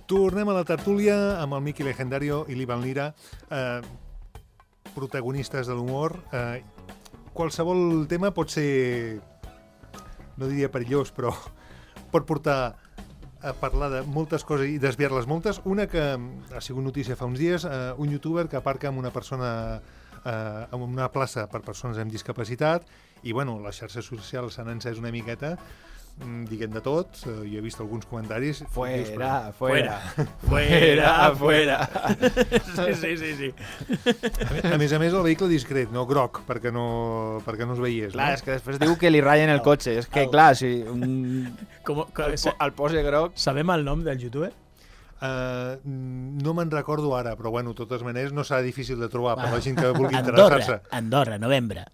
Tornem a la tertúlia amb el Miki Legendario i l'Ivan Lira, eh, protagonistes de l'humor. Eh, qualsevol tema pot ser, no diria perillós, però pot portar a parlar de moltes coses i desviar-les moltes. Una que ha sigut notícia fa uns dies, eh, un youtuber que aparca amb una persona eh, en una plaça per persones amb discapacitat i, bueno, les xarxes socials s'han encès una miqueta diguem de tot, jo he vist alguns comentaris. Fuera, fuera, fuera, fuera. Sí, sí, sí. A més a més, el vehicle discret, no groc, perquè no, perquè no es veiés. Clar, no? és que després diu que li rayen el cotxe. És que, clar, si un... Com, com, el, el pose groc... Sabem el nom del youtuber? Uh, no me'n recordo ara, però bueno, de totes maneres no serà difícil de trobar per la gent que vulgui Andorra, interessar-se. Andorra, novembre.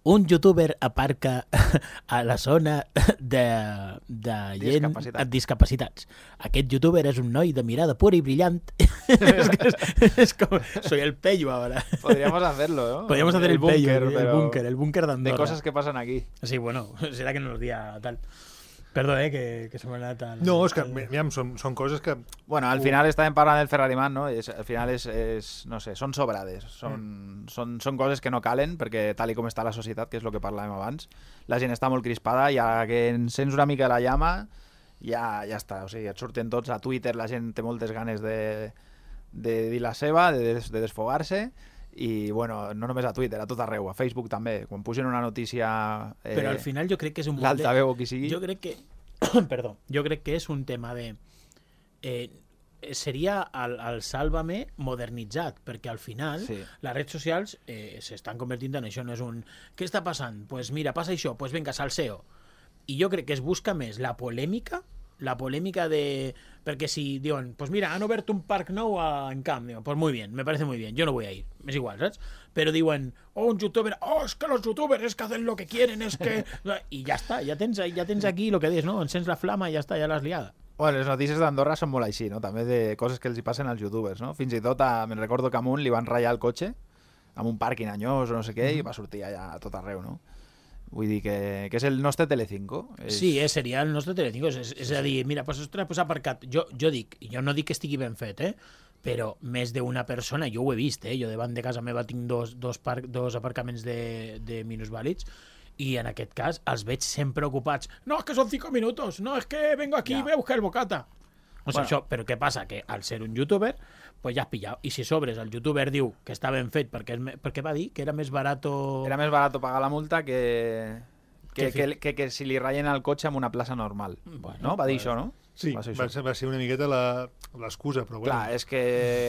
Un youtuber aparca a la zona de, de gent Discapacitat. amb discapacitats. Aquest youtuber és un noi de mirada pura i brillant. es, que es, es como, soy el pello ahora. Podríamos hacerlo, ¿no? Podríamos hacer el, el búnker, pello, el, el búnker, el búnker de Andorra. De cosas que pasan aquí. Sí, bueno, será que no nos diga tal. Perdó, eh, que, que se me ha tal. No, és que ja, són, són coses que... Bueno, al final estàvem parlant del Ferrari Man, no? És, al final és, és, no sé, són sobrades. Són, mm. són, són coses que no calen, perquè tal i com està la societat, que és el que parlàvem abans, la gent està molt crispada, ja que encens una mica la llama, ja, ja està. O sigui, et surten tots a Twitter, la gent té moltes ganes de, de dir la seva, de, de desfogar-se, i bueno, no només a Twitter, a tot arreu, a Facebook també, quan pugen una notícia eh, però al final jo crec que és un l'altaveu o qui sigui, jo crec que perdó, jo crec que és un tema de eh, seria el, el Sálvame modernitzat, perquè al final sí. les redes socials eh, s'estan convertint en això, no és un què està passant? Pues mira, passa això, pues venga, salseo. I jo crec que es busca més la polèmica la polèmica de... Perquè si diuen, pues mira, han obert un parc nou a, en Camp, diuen, pues muy bien, me parece muy bien, yo no voy a ir, es igual, ¿sabes? Pero diuen, oh, un youtuber, oh, es que los youtubers es que hacen lo que quieren, es que... I ja està, ja tens, ja tens aquí lo que dius, no? Encens la flama i ja està, ja l'has liada. Bueno, les notícies d'Andorra són molt així, no? També de coses que els hi passen als youtubers, no? Fins i tot, a, me'n recordo que a un li van ratllar el cotxe amb un pàrquing anyós o no sé què, mm-hmm. i va sortir allà a tot arreu, no? Vull dir que, que és el nostre Telecinco. És... Sí, eh, seria el nostre Telecinco. És, és a dir, mira, pues, ostres, pues aparcat. Jo, jo dic, jo no dic que estigui ben fet, eh? Però més d'una persona, jo ho he vist, eh? Jo davant de casa meva tinc dos, dos, par dos aparcaments de, de minusvàlids i en aquest cas els veig sempre ocupats. No, és que són cinco minutos. No, és que vengo aquí i ja. Veu que el bocata. O sigui, bueno. Això, però què passa? Que al ser un youtuber pues ja has pillat. I si sobres el youtuber diu que està ben fet perquè, és, perquè va dir que era més barato... Era més barato pagar la multa que, que, que, que, que si li ratllen el cotxe en una plaça normal. Bueno, no? Va dir pues... això, no? Sí, va ser, va ser, va ser una miqueta l'excusa, però bueno. Clar, és que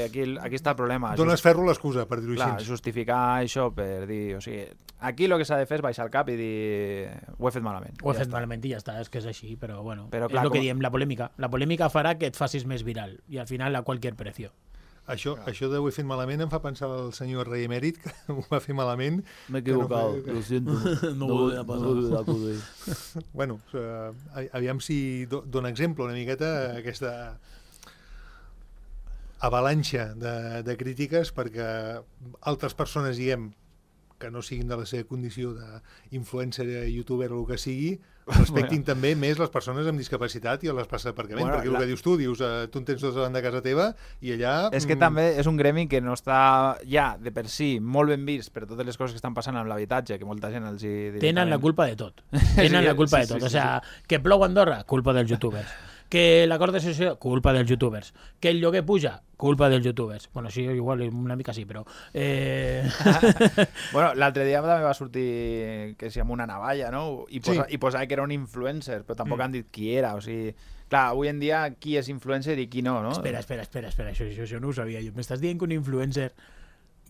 aquí, aquí està el problema. Dones Just... ferro l'excusa, per dir-ho així. Clar, justificar això per dir... O sigui, aquí el que s'ha de fer és baixar el cap i dir ho he fet malament. Ho he ja fet està. malament i ja està, és que és així, però bueno. Però, clar, és el com... que diem, la polèmica. La polèmica farà que et facis més viral i al final a qualsevol precio. Això, això de ho he fet malament em fa pensar el senyor rei emèrit, que ho va fer malament. M'he equivocat, no, lo siento. No ho volia passar. Bueno, uh, aviam si do, dona exemple una miqueta aquesta avalanxa de, de crítiques perquè altres persones, diguem, que no siguin de la seva condició d'influencer, youtuber o el que sigui, respectin bueno. també més les persones amb discapacitat i a les places d'aparcament, bueno, perquè la... el que dius tu, dius, uh, tu en tens dos davant de casa teva i allà... És que mm... també és un gremi que no està ja de per si molt ben vist per totes les coses que estan passant amb l'habitatge, que molta gent els hi... Tenen la culpa de tot. Tenen sí, la culpa sí, de tot. Sí, sí, o sea, sí. Que plou a Andorra, culpa dels youtubers. Que l'acord de sessió, culpa dels youtubers. Que el lloguer puja, culpa dels youtubers. Bueno, sí, igual una mica sí, però... Eh... bueno, l'altre dia també va sortir que si amb una navalla, no? I, posa, Sí. i posava que era un influencer, però tampoc Mm. han dit qui era, o sigui... Clar, avui en dia qui és influencer i qui no, no? Espera, espera, espera, espera, això, això, això no ho sabia jo. M'estàs dient que un influencer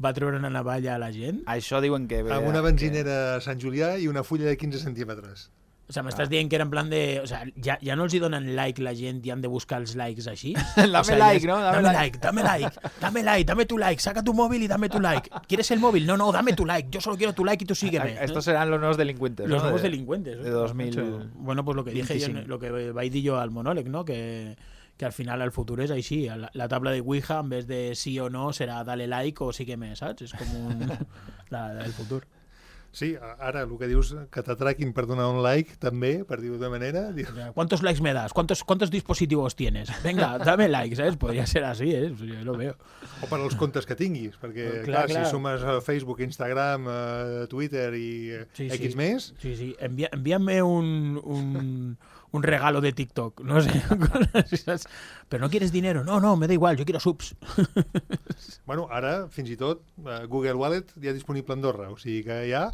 va treure una navalla a la gent? Això diuen que... Amb una benzinera a Sant Julià i una fulla de quinze centímetres. O sea, m'estàs dient que era en plan de... O sea, ja, ja no els hi donen like la gent i han de buscar els likes així? Dame o sea, like, es, ¿no? Dame, Dame like. like, dame like, dame like, dame tu like, saca tu móvil y dame tu like. ¿Quieres el móvil? No, no, dame tu like, yo solo quiero tu like y tú sígueme. Estos serán los nuevos delincuentes, Los ¿no? nuevos de, delincuentes. De dos mil Bueno, pues lo que dije yo, lo que vaig dir jo al monòleg, ¿no? Que, que al final el futur és així. La, la tabla de Ouija, en vez de sí o no, serà dale like o sígueme, saps? És com un... la, el futur. Sí, ara el que dius que t'atraquin per donar un like també, per dir-ho de manera... ¿Cuántos likes me das? ¿Cuántos, ¿Cuántos dispositivos tienes? Venga, dame like, ¿sabes? Podría ser así, ¿eh? Yo lo veo. O per als comptes que tinguis, perquè clar, clar, clar. si sumes a Facebook, Instagram, a Twitter i sí, X sí. més... Sí, sí, Envía, envíame un, un, un regalo de TikTok, no sé. Pero no quieres dinero, no, no, me da igual, yo quiero subs. Bueno, ara, fins i tot, Google Wallet ja disponible a Andorra, o sigui que ja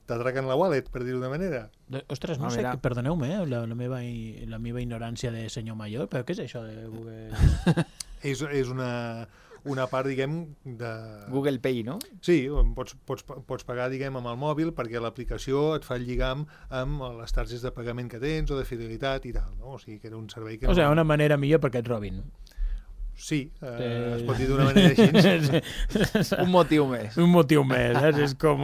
t'atraquen la wallet, per dir-ho de manera. Ostres, no, no sé, que, perdoneu-me, eh, la, la, meva, la meva ignorància de senyor major, però què és això de Google? és, és una, una part, diguem, de... Google Pay, no? Sí, pots, pots, pots pagar, diguem, amb el mòbil perquè l'aplicació et fa el lligam amb les targetes de pagament que tens o de fidelitat i tal, no? O sigui, que era un servei que... O sigui, una manera millor perquè et robin. Sí, eh, eh... es pot dir d'una manera així. Un motiu més. Un motiu més, saps? És com...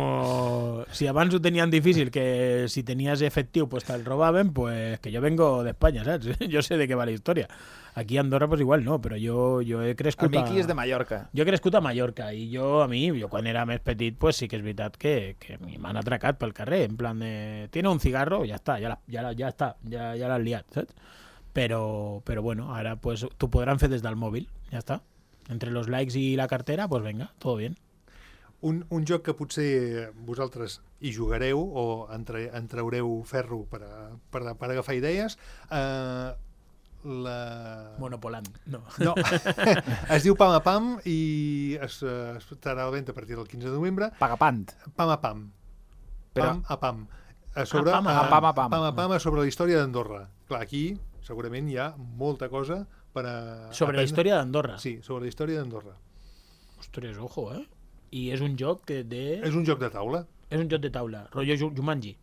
Si abans ho tenien difícil, que si tenies efectiu pues te'l robaven, pues que jo vengo d'Espanya, saps? Jo sé de què va la història. Aquí a Andorra pues igual no, però jo, jo he crescut... El Miqui és de Mallorca. Jo he crescut a Mallorca i jo, a mi, jo quan era més petit, pues sí que és veritat que, que m'han atracat pel carrer, en plan de... Tiene un cigarro, ja està, ja, la, ja, ja està, ja, ja l'has liat, saps? Pero, pero bueno, ahora pues tú podrán hacer desde el móvil, ya está. Entre los likes y la cartera, pues venga, todo bien. Un, un joc que potser vosaltres hi jugareu o entre, entreureu ferro per, a, per, a, per agafar idees, eh, la... Monopolant, no. No, es diu Pam a Pam i es, es estarà a la venda a partir del quinze de novembre. Pagapant. Pam a Pam. Però... Pam a Pam. A sobre, ah, pam, a a, pam, a pam. Pam a Pam a sobre la història d'Andorra. Clar, aquí segurament hi ha molta cosa per a... Sobre la història d'Andorra? Sí, sobre la història d'Andorra. Ostres, ojo, eh? I és un joc que de... És un joc de taula. És un joc de taula, rotllo Jumanji.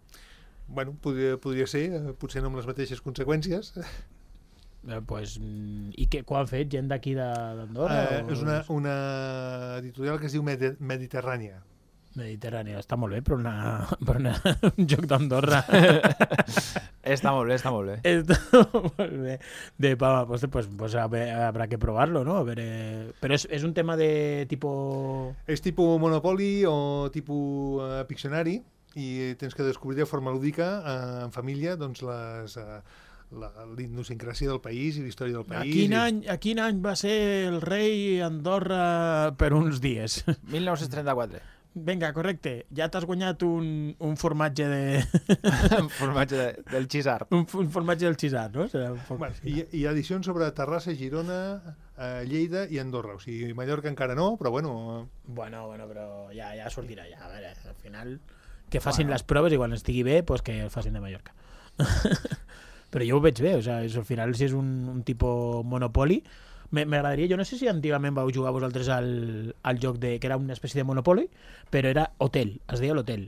Bueno, podria, podria ser, potser no amb les mateixes conseqüències. Eh, pues, i què, quan han fet? Gent d'aquí d'Andorra? Eh, o... és una, una editorial que es diu Medi Mediterrània. Mediterrània, està molt bé, però, una, per una, un joc d'Andorra. Està molt bé, està molt bé. Està molt bé. De pava, pues, pues, pues habrá que probarlo, ¿no? A ver, eh... Pero es, es un tema de tipo... És tipus Monopoly o tipus uh, Piccionari i tens que descobrir de forma lúdica uh, en família doncs les... Uh, la idiosincràsia del país i la història del país. A quin, i... any, a quin any va ser el rei Andorra per uns dies? mil nou-cents trenta-quatre. Vinga, correcte. Ja t'has guanyat un, un formatge de... un formatge de, del xisart. Un, un formatge del xisart, no? Serà un poc... bueno, hi, hi ha edicions sobre Terrassa, Girona, eh, Lleida i Andorra. O sigui, Mallorca encara no, però bueno... Bueno, bueno, però ja, ja sortirà ja. A veure, al final que facin bueno. les proves i quan estigui bé, pues que el facin de Mallorca. Però jo ho veig bé, o sea, és, al final si és un, un tipus Monopoly, m'agradaria, jo no sé si antigament vau jugar vosaltres al, al joc de, que era una espècie de Monopoly, però era hotel, es deia l'hotel,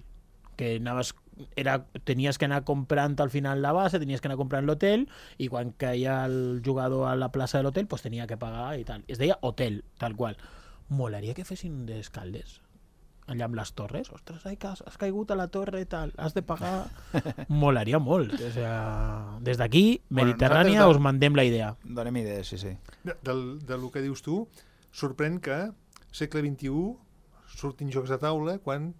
que anaves, era, tenies que anar comprant al final la base, tenies que anar comprant l'hotel, i quan caia el jugador a la plaça de l'hotel, pues tenia que pagar i tal. Es deia hotel, tal qual. Molaria que fessin d'escaldes allà amb les torres, ostres, ai, has, has caigut a la torre i tal, has de pagar. Molaria molt. O sea, des d'aquí, Mediterrània, bueno, us mandem la idea. Donem idees, sí, sí. De, del, del que dius tu, sorprèn que segle vint-i-u surtin jocs de taula quan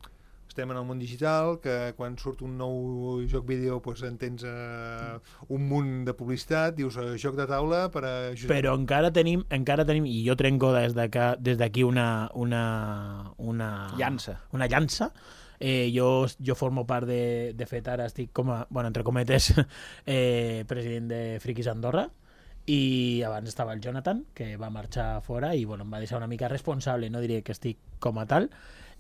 estem en el món digital, que quan surt un nou joc vídeo pues, en tens uh, un munt de publicitat, dius uh, joc de taula per a... Però encara tenim, encara tenim, i jo trenco des d'aquí una, una, una llança. Una llança. Eh, jo, jo formo part de, de fet, ara estic com a, bueno, entre cometes, eh, president de Friquis Andorra, i abans estava el Jonathan, que va marxar fora i bueno, em va deixar una mica responsable, no diré que estic com a tal,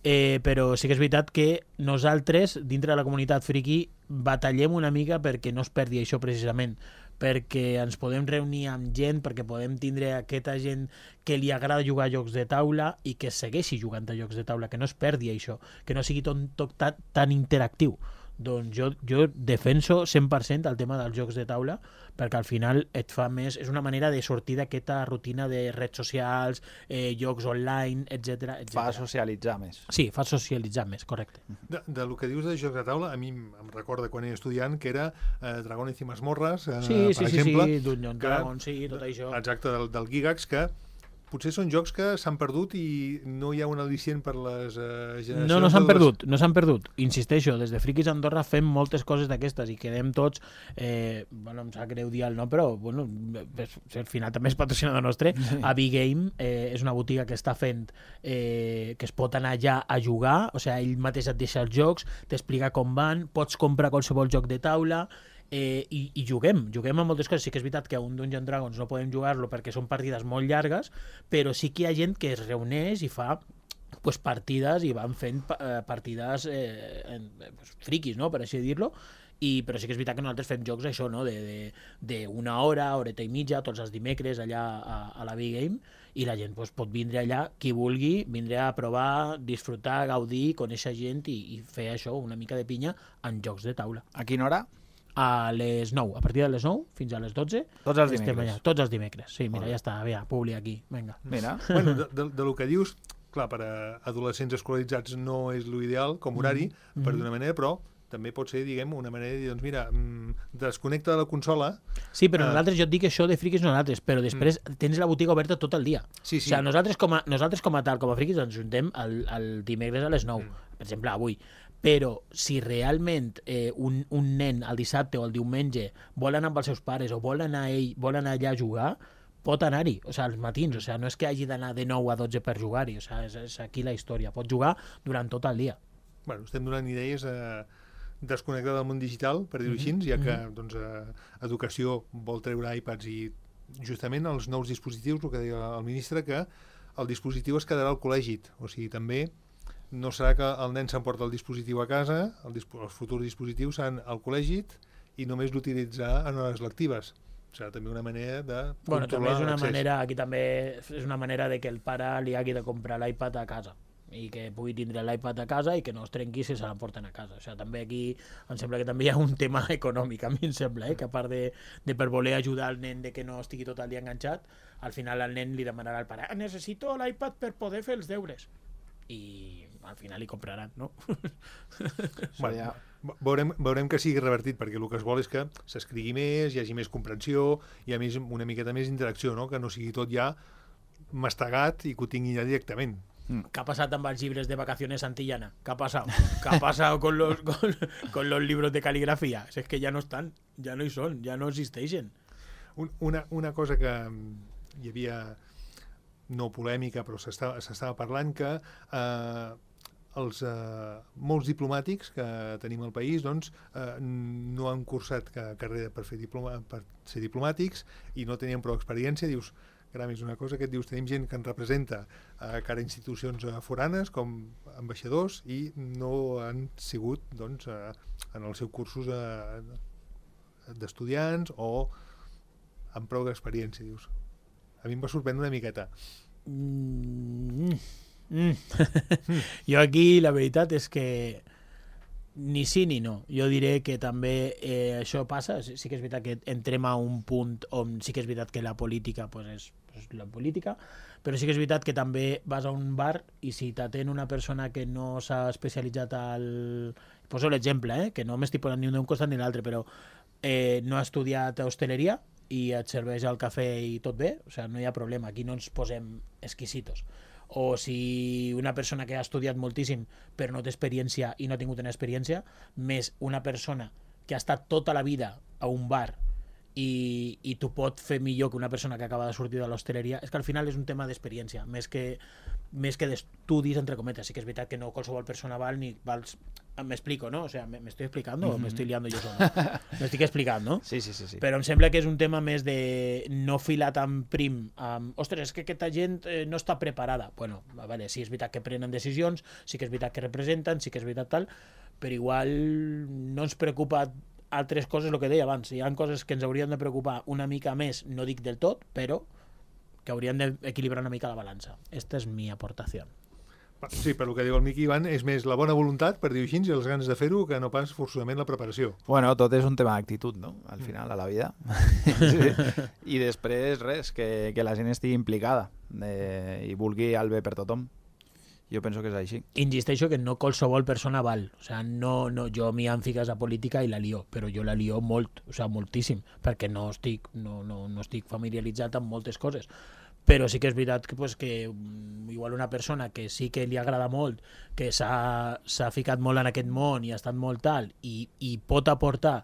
eh, però sí que és veritat que nosaltres, dintre de la comunitat friki, batallem una mica perquè no es perdi això precisament, perquè ens podem reunir amb gent, perquè podem tindre aquesta gent que li agrada jugar a jocs de taula i que segueixi jugant a jocs de taula, que no es perdi això, que no sigui tot, tot tan, tan interactiu. Doncs jo, jo defenso cent per cent el tema dels jocs de taula, perquè al final et fa més, és una manera de sortir d'aquesta rutina de redes socials, eh, jocs online, etcètera, etcètera. Fa socialitzar més. Sí, fa socialitzar més, correcte. De, de lo que dius de jocs de taula, a mi em recorda quan era estudiant que era eh, Dragones i Masmorres, eh, sí, per sí, exemple. Sí, sí, Dungeon Dragon, sí, tot això. Exacte, del, del Gigax, que potser són jocs que s'han perdut i no hi ha un al·licient per les uh, generacions... No, no s'han perdut, no s'han perdut. Insisteixo, des de Frikis Andorra fem moltes coses d'aquestes i quedem tots... Eh, bueno, em sap greu dir el nom, però bueno, al final també és patrocinador nostre. Sí. A Big Game eh, és una botiga que està fent eh, que es pot anar allà a jugar, o sigui, ell mateix et deixa els jocs, t'explica com van, pots comprar qualsevol joc de taula... Eh, i, i juguem, juguem a moltes coses. Sí que és veritat que a un Dungeon Dragons no podem jugar-lo perquè són partides molt llargues, però sí que hi ha gent que es reuneix i fa pues, partides i van fent eh, partides eh, en, pues, friquis, no? Per així dir-lo, i, però sí que és veritat que nosaltres fem jocs això, no? de, de, de una hora, horeta i mitja, tots els dimecres allà a, a la Big Game, i la gent pues, pot vindre allà, qui vulgui, vindre a provar, disfrutar, gaudir, conèixer gent i, i fer això, una mica de pinya en jocs de taula. A quina hora? A les nou, a partir de les nou fins a les dotze. Tots els dimecres. Allà, tots els dimecres, sí, mira, ja està, ja, publi aquí, vinga. Mira. Bueno, de, de, de lo que dius, clar, per a adolescents escolaritzats no és l'ideal com horari, mm -hmm. per d'una manera, però també pot ser, diguem, una manera de dir, doncs mira, desconnecta de la consola... Sí, però uh... nosaltres, jo et dic això de friquis nosaltres, però després mm. tens la botiga oberta tot el dia. Sí, sí. O sigui, nosaltres com a, nosaltres com a tal, com a friquis, ens juntem el, el dimecres a les nou, mm. per exemple, avui. Però si realment eh, un, un nen el dissabte o el diumenge vol anar amb els seus pares o vol anar, ell, vol anar allà a jugar, pot anar-hi, o sigui, als matins, o sigui, no és que hagi d'anar de nou a dotze per jugar-hi, o sigui, és, és aquí la història, pot jugar durant tot el dia. Bueno, estem donant idees a desconnectar del món digital, per dir-ho així, ja que doncs, eh, educació vol treure iPads i justament els nous dispositius, el que deia el ministre, que el dispositiu es quedarà al col·legi, o sigui, també no serà que el nen s'emporta el dispositiu a casa, el disp els futurs dispositius seran al col·legi i només l'utilitzarà en hores lectives. Serà també una manera de bueno, controlar també és una l'accés. manera, aquí també és una manera de que el pare li hagi de comprar l'iPad a casa i que pugui tindre l'iPad a casa i que no es trenqui si se l'emporten a casa. O sigui, també aquí em sembla que també hi ha un tema econòmic, a mi em sembla, eh? Que a part de, de per voler ajudar el nen de que no estigui tot el dia enganxat, al final el nen li demanarà al pare, necessito l'iPad per poder fer els deures. I al final li compraran, no? Bueno, ja. veurem, veurem que sigui revertit, perquè el que es vol és que s'escrigui més, hi hagi més comprensió, hi ha més, una miqueta més interacció, no? Que no sigui tot ja mastegat i que ho tingui ja directament. ¿Qué ha pasado amb els llibres de vacaciones Santillana? ¿Qué ha pasado? ¿Qué ha pasado con los, con, con los libros de caligrafía? Si es que ya no están, ya no hi són, ja no existeixen. Un, una, una cosa que hi havia, no polèmica, però s'estava parlant, que eh, els eh, molts diplomàtics que tenim al país doncs, eh, no han cursat carrera per, fer diploma, per ser diplomàtics i no tenien prou experiència. Dius, caram, és una cosa que et dius, tenim gent que ens representa a cara a institucions foranes com ambaixadors i no han sigut doncs, eh, en els seus cursos eh, d'estudiants o amb prou d'experiència, dius. A mi em va sorprendre una miqueta. Mm. Mm. Jo aquí la veritat és que ni sí ni no. Jo diré que també eh, això passa. Sí que és veritat que entrem a un punt on sí que és veritat que la política pues és, és la política, però sí que és veritat que també vas a un bar i si t'atén una persona que no s'ha especialitzat al... Poso l'exemple, eh? Que no m'estic posant ni un d'un costat ni l'altre, però eh, no ha estudiat hosteleria i et serveix el cafè i tot bé, o sigui, no hi ha problema, aquí no ens posem exquisitos. O si una persona que ha estudiat moltíssim però no té experiència i no ha tingut una experiència, més una persona que ha estat tota la vida a un bar i, i tu pots fer millor que una persona que acaba de sortir de l'hostaleria, és que al final és un tema d'experiència, més que, més que d'estudis, entre cometes. Sí que és veritat que no qualsevol persona val ni vals... M'explico, ¿no? O sea, ¿me, me estoy explicando mm-hmm. o me estoy liando yo solo? Me estic explicant, no? Sí, sí, sí, sí. Però em sembla que és un tema més de no filar tan prim amb, ostres, és que aquesta gent eh, no està preparada. Bueno, vale, sí és veritat que prenen decisions, sí que és veritat que representen, sí que és veritat tal, però igual no ens preocupa altres coses, el que deia abans. Hi ha coses que ens haurien de preocupar una mica més, no dic del tot, però que haurien d'equilibrar una mica la balança. Esta és mi aportació. Sí, per el que diu el Miqui Ivan, és més la bona voluntat, per dir-ho així, i les ganes de fer-ho, que no pas forçosament la preparació. Bueno, tot és un tema d'actitud, no? Al final, a la vida. Sí. I després, res, que, que la gent estigui implicada eh, i vulgui el bé per tothom. Jo penso que és així. Insisteixo que no qualsevol persona val. O sea, no, no, jo m'hi han ficat a política i la lio, però jo la lio molt, o sea, moltíssim, perquè no estic, no, no, no estic familiaritzat amb moltes coses. Però sí que és veritat que, pues, que igual una persona que sí que li agrada molt, que s'ha ficat molt en aquest món i ha estat molt tal, i, i pot aportar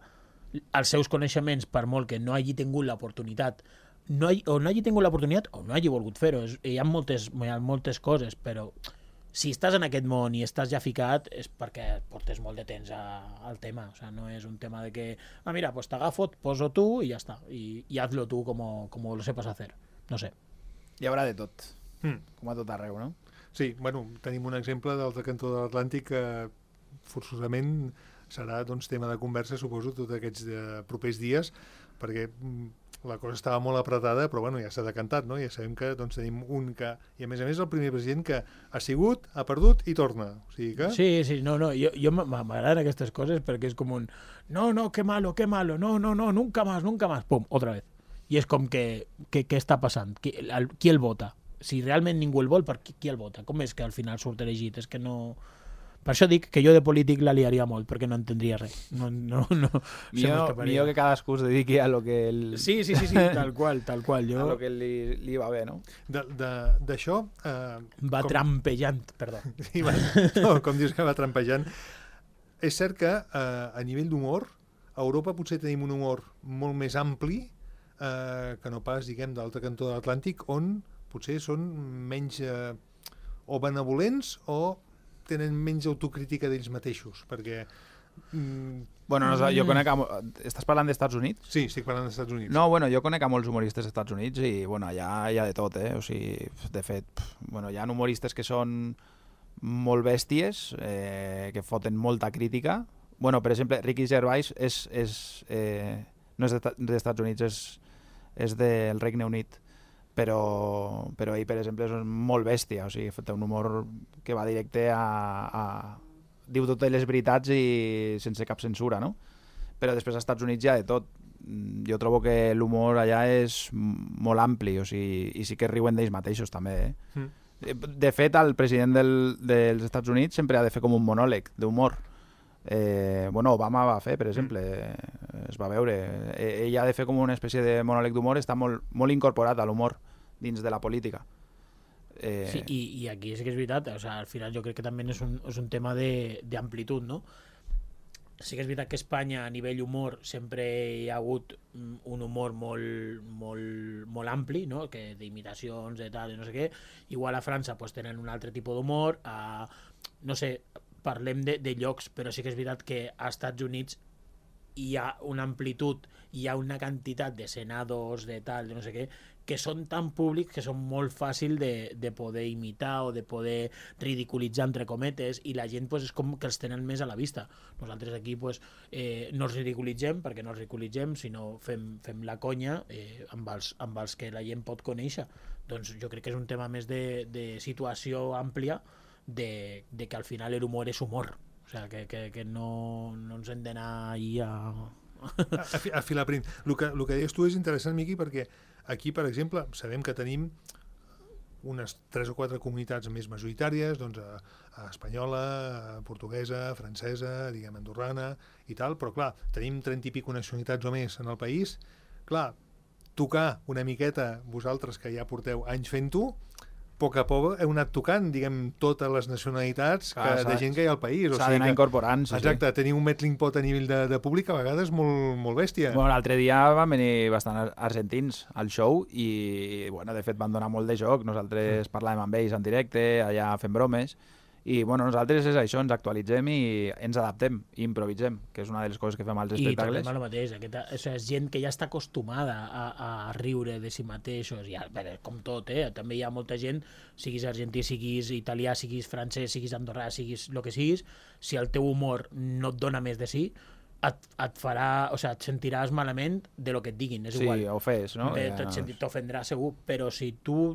els seus coneixements per molt que no hagi tingut l'oportunitat, no hagi, o no hagi tingut l'oportunitat o no hagi volgut fer-ho. Hi ha moltes, hi ha moltes coses, però si estàs en aquest món i estàs ja ficat és perquè portes molt de temps a, al tema. O sea, no és un tema de que, ah, mira, pues t'agafo, et poso tu i ja està. I, i hazlo tu como, como lo sepas hacer. No sé. Hi haurà de tot, mm. com a tot arreu, no? Sí, bueno, tenim un exemple de l'altre cantó de l'Atlàntic que forçosament serà doncs, tema de conversa, suposo, tots aquests de propers dies, perquè la cosa estava molt apretada, però bueno, ja s'ha decantat, no? Ja sabem que doncs, tenim un que... I a més a més el primer president que ha sigut, ha perdut i torna. O sigui que... Sí, sí, no, no, jo, jo m'agraden aquestes coses perquè és com un... No, no, qué malo, qué malo, no, no, no, nunca más, nunca más, pum, otra vez. I és com que, que, què està passant? Qui el, qui el vota? Si realment ningú el vol, per qui, qui el vota? Com és que al final surt elegit? És que no... Per això dic que jo de polític la liaria molt, perquè no entendria res. No, no, no, millor, millor que cadascú es dediqui a lo que... El... Sí, sí, sí, sí, tal qual, tal qual. Jo... A lo que li, li va bé, no? D'això... Eh, va com... trampejant, perdó. Sí, va, no, com dius que va trampejant. És cert que eh, a nivell d'humor, a Europa potser tenim un humor molt més ampli Eh, que no pas, diguem, d'altre cantó de l'Atlàntic, on potser són menys eh, o benevolents o tenen menys autocrítica d'ells mateixos, perquè... Mm, bueno, no, jo conec... A, estàs parlant dels Estats Units? Sí, estic parlant dels Estats Units. No, bueno, jo conec a molts humoristes dels Estats Units i, bueno, allà hi ha de tot, eh? O sigui, de fet, bueno, hi ha humoristes que són molt bèsties, eh, que foten molta crítica. Bueno, per exemple, Ricky Gervais és... és eh, no és dels Estats Units, és... és del Regne Unit, però, però ell, per exemple, és molt bèstia, o sigui, té un humor que va directe a, a... diu totes les veritats i sense cap censura, no? Però després als Estats Units hi ha de tot. Jo trobo que l'humor allà és molt ampli, o sigui, i sí que riuen d'ells mateixos, també, eh? Mm. De fet, el president del, dels Estats Units sempre ha de fer com un monòleg d'humor. Eh, bueno, Obama va fer, per exemple, mm. es va veure. Eh, ell ha de fer com una espècie de monòleg d'humor, està molt, molt incorporat a l'humor dins de la política. Eh... Sí, i, i aquí sí que és veritat, o sea, al final jo crec que també és un, és un tema d'amplitud, no? Sí que és veritat que a Espanya a nivell humor sempre hi ha hagut un humor molt, molt, molt ampli, no? Que d'imitacions, de tal, de no sé què. Igual a França pues, tenen un altre tipus d'humor, a, no sé, parlem de, de llocs, però sí que és veritat que als Estats Units hi ha una amplitud, hi ha una quantitat de senadors, de tal, de no sé què, que són tan públics que són molt fàcil de, de poder imitar o de poder ridiculitzar, entre cometes, i la gent pues, és com que els tenen més a la vista. Nosaltres aquí pues, eh, no els ridiculitzem, perquè no els ridiculitzem, sinó fem, fem la conya eh, amb, els, amb els que la gent pot conèixer. Doncs jo crec que és un tema més de, de situació àmplia, De, de que al final el humor és humor, o sea, que, que, que no, no ens hem d'anar ahir a... a, a filar prim. El que, el que deies tu és interessant, Miqui, perquè aquí, per exemple, sabem que tenim unes tres o quatre comunitats més majoritàries, doncs a, a espanyola, a portuguesa, a francesa, diguem, andorrana i tal, però clar, tenim trenta i pico nacionalitats o més en el país. Clar, tocar una miqueta, vosaltres que ja porteu anys fent-ho, poc a poc heu anat tocant, diguem, totes les nacionalitats que, Clar, de gent que hi ha al país. S'ha d'anar incorporant, sí, exacte, tenir un melting pot a nivell de, de públic a vegades molt, molt bèstia. Bueno, l'altre dia van venir bastant argentins al show i, bueno, de fet van donar molt de joc. Nosaltres mm. parlàvem amb ells en directe, allà fent bromes. I, bueno, nosaltres és això, ens actualitzem i ens adaptem i improvisem, que és una de les coses que fem als espectacles. I també el mateix, aquesta, o sigui, és gent que ja està acostumada a, a riure de si mateixos, i, bé, com tot, eh? També hi ha molta gent, siguis argentí, siguis italià, siguis francès, siguis andorrà, siguis el que siguis, si el teu humor no et dona més de si, et, et farà, o sigui, et sentiràs malament de lo que et diguin, és igual. Sí, ofès, no? Bé, ja... T'ofendrà segur, però si tu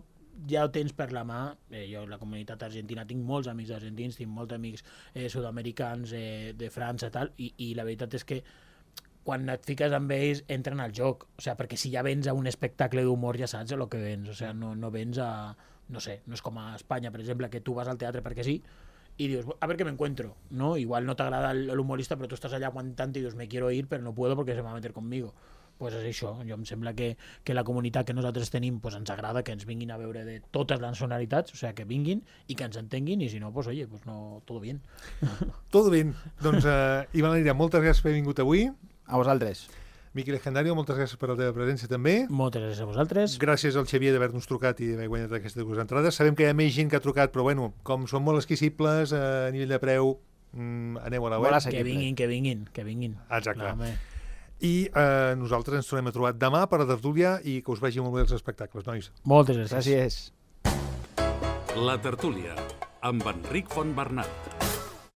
ja ho tens per la mà, eh, jo la comunitat argentina tinc molts amics argentins, tinc molts amics eh, sud-americans eh, de França tal, i, i la veritat és que quan et fiques amb ells entren al joc, o sigui, perquè si ja vens a un espectacle d'humor ja saps el que vens, o sigui, no, no vens a, no sé, no és com a Espanya, per exemple, que tu vas al teatre perquè sí i dius, a ver qué me encuentro, ¿no? Igual no t'agrada el, el humorista, però tu estàs allà aguantant i dius, me quiero ir, però no puedo porque se me va a meter conmigo. Pues és això, jo em sembla que, que la comunitat que nosaltres tenim pues ens agrada que ens vinguin a veure de totes les nacionalitats, o sigui, que vinguin i que ens entenguin, i si no, pues oye, pues no, todo bien. Todo bien. Doncs, uh, Ivan Lira, moltes gràcies per haver vingut avui. A vosaltres. Miqui Legendario, moltes gràcies per la teva presència també. Moltes gràcies a vosaltres. Gràcies al Xavier d'haver-nos trucat i d'haver guanyat aquestes dues entrades. Sabem que hi ha més gent que ha trucat, però bueno, com són molt esquissibles a nivell de preu, mm, aneu a la web. Que vinguin, que vinguin, que vinguin. Exacte. No, I eh, nosaltres ens tornem a trobar demà per a Tertúlia i que us vagi molt bé els espectacles, nois. Moltes gràcies. Gràcies. La Tertúlia, amb Enric Fontbernat.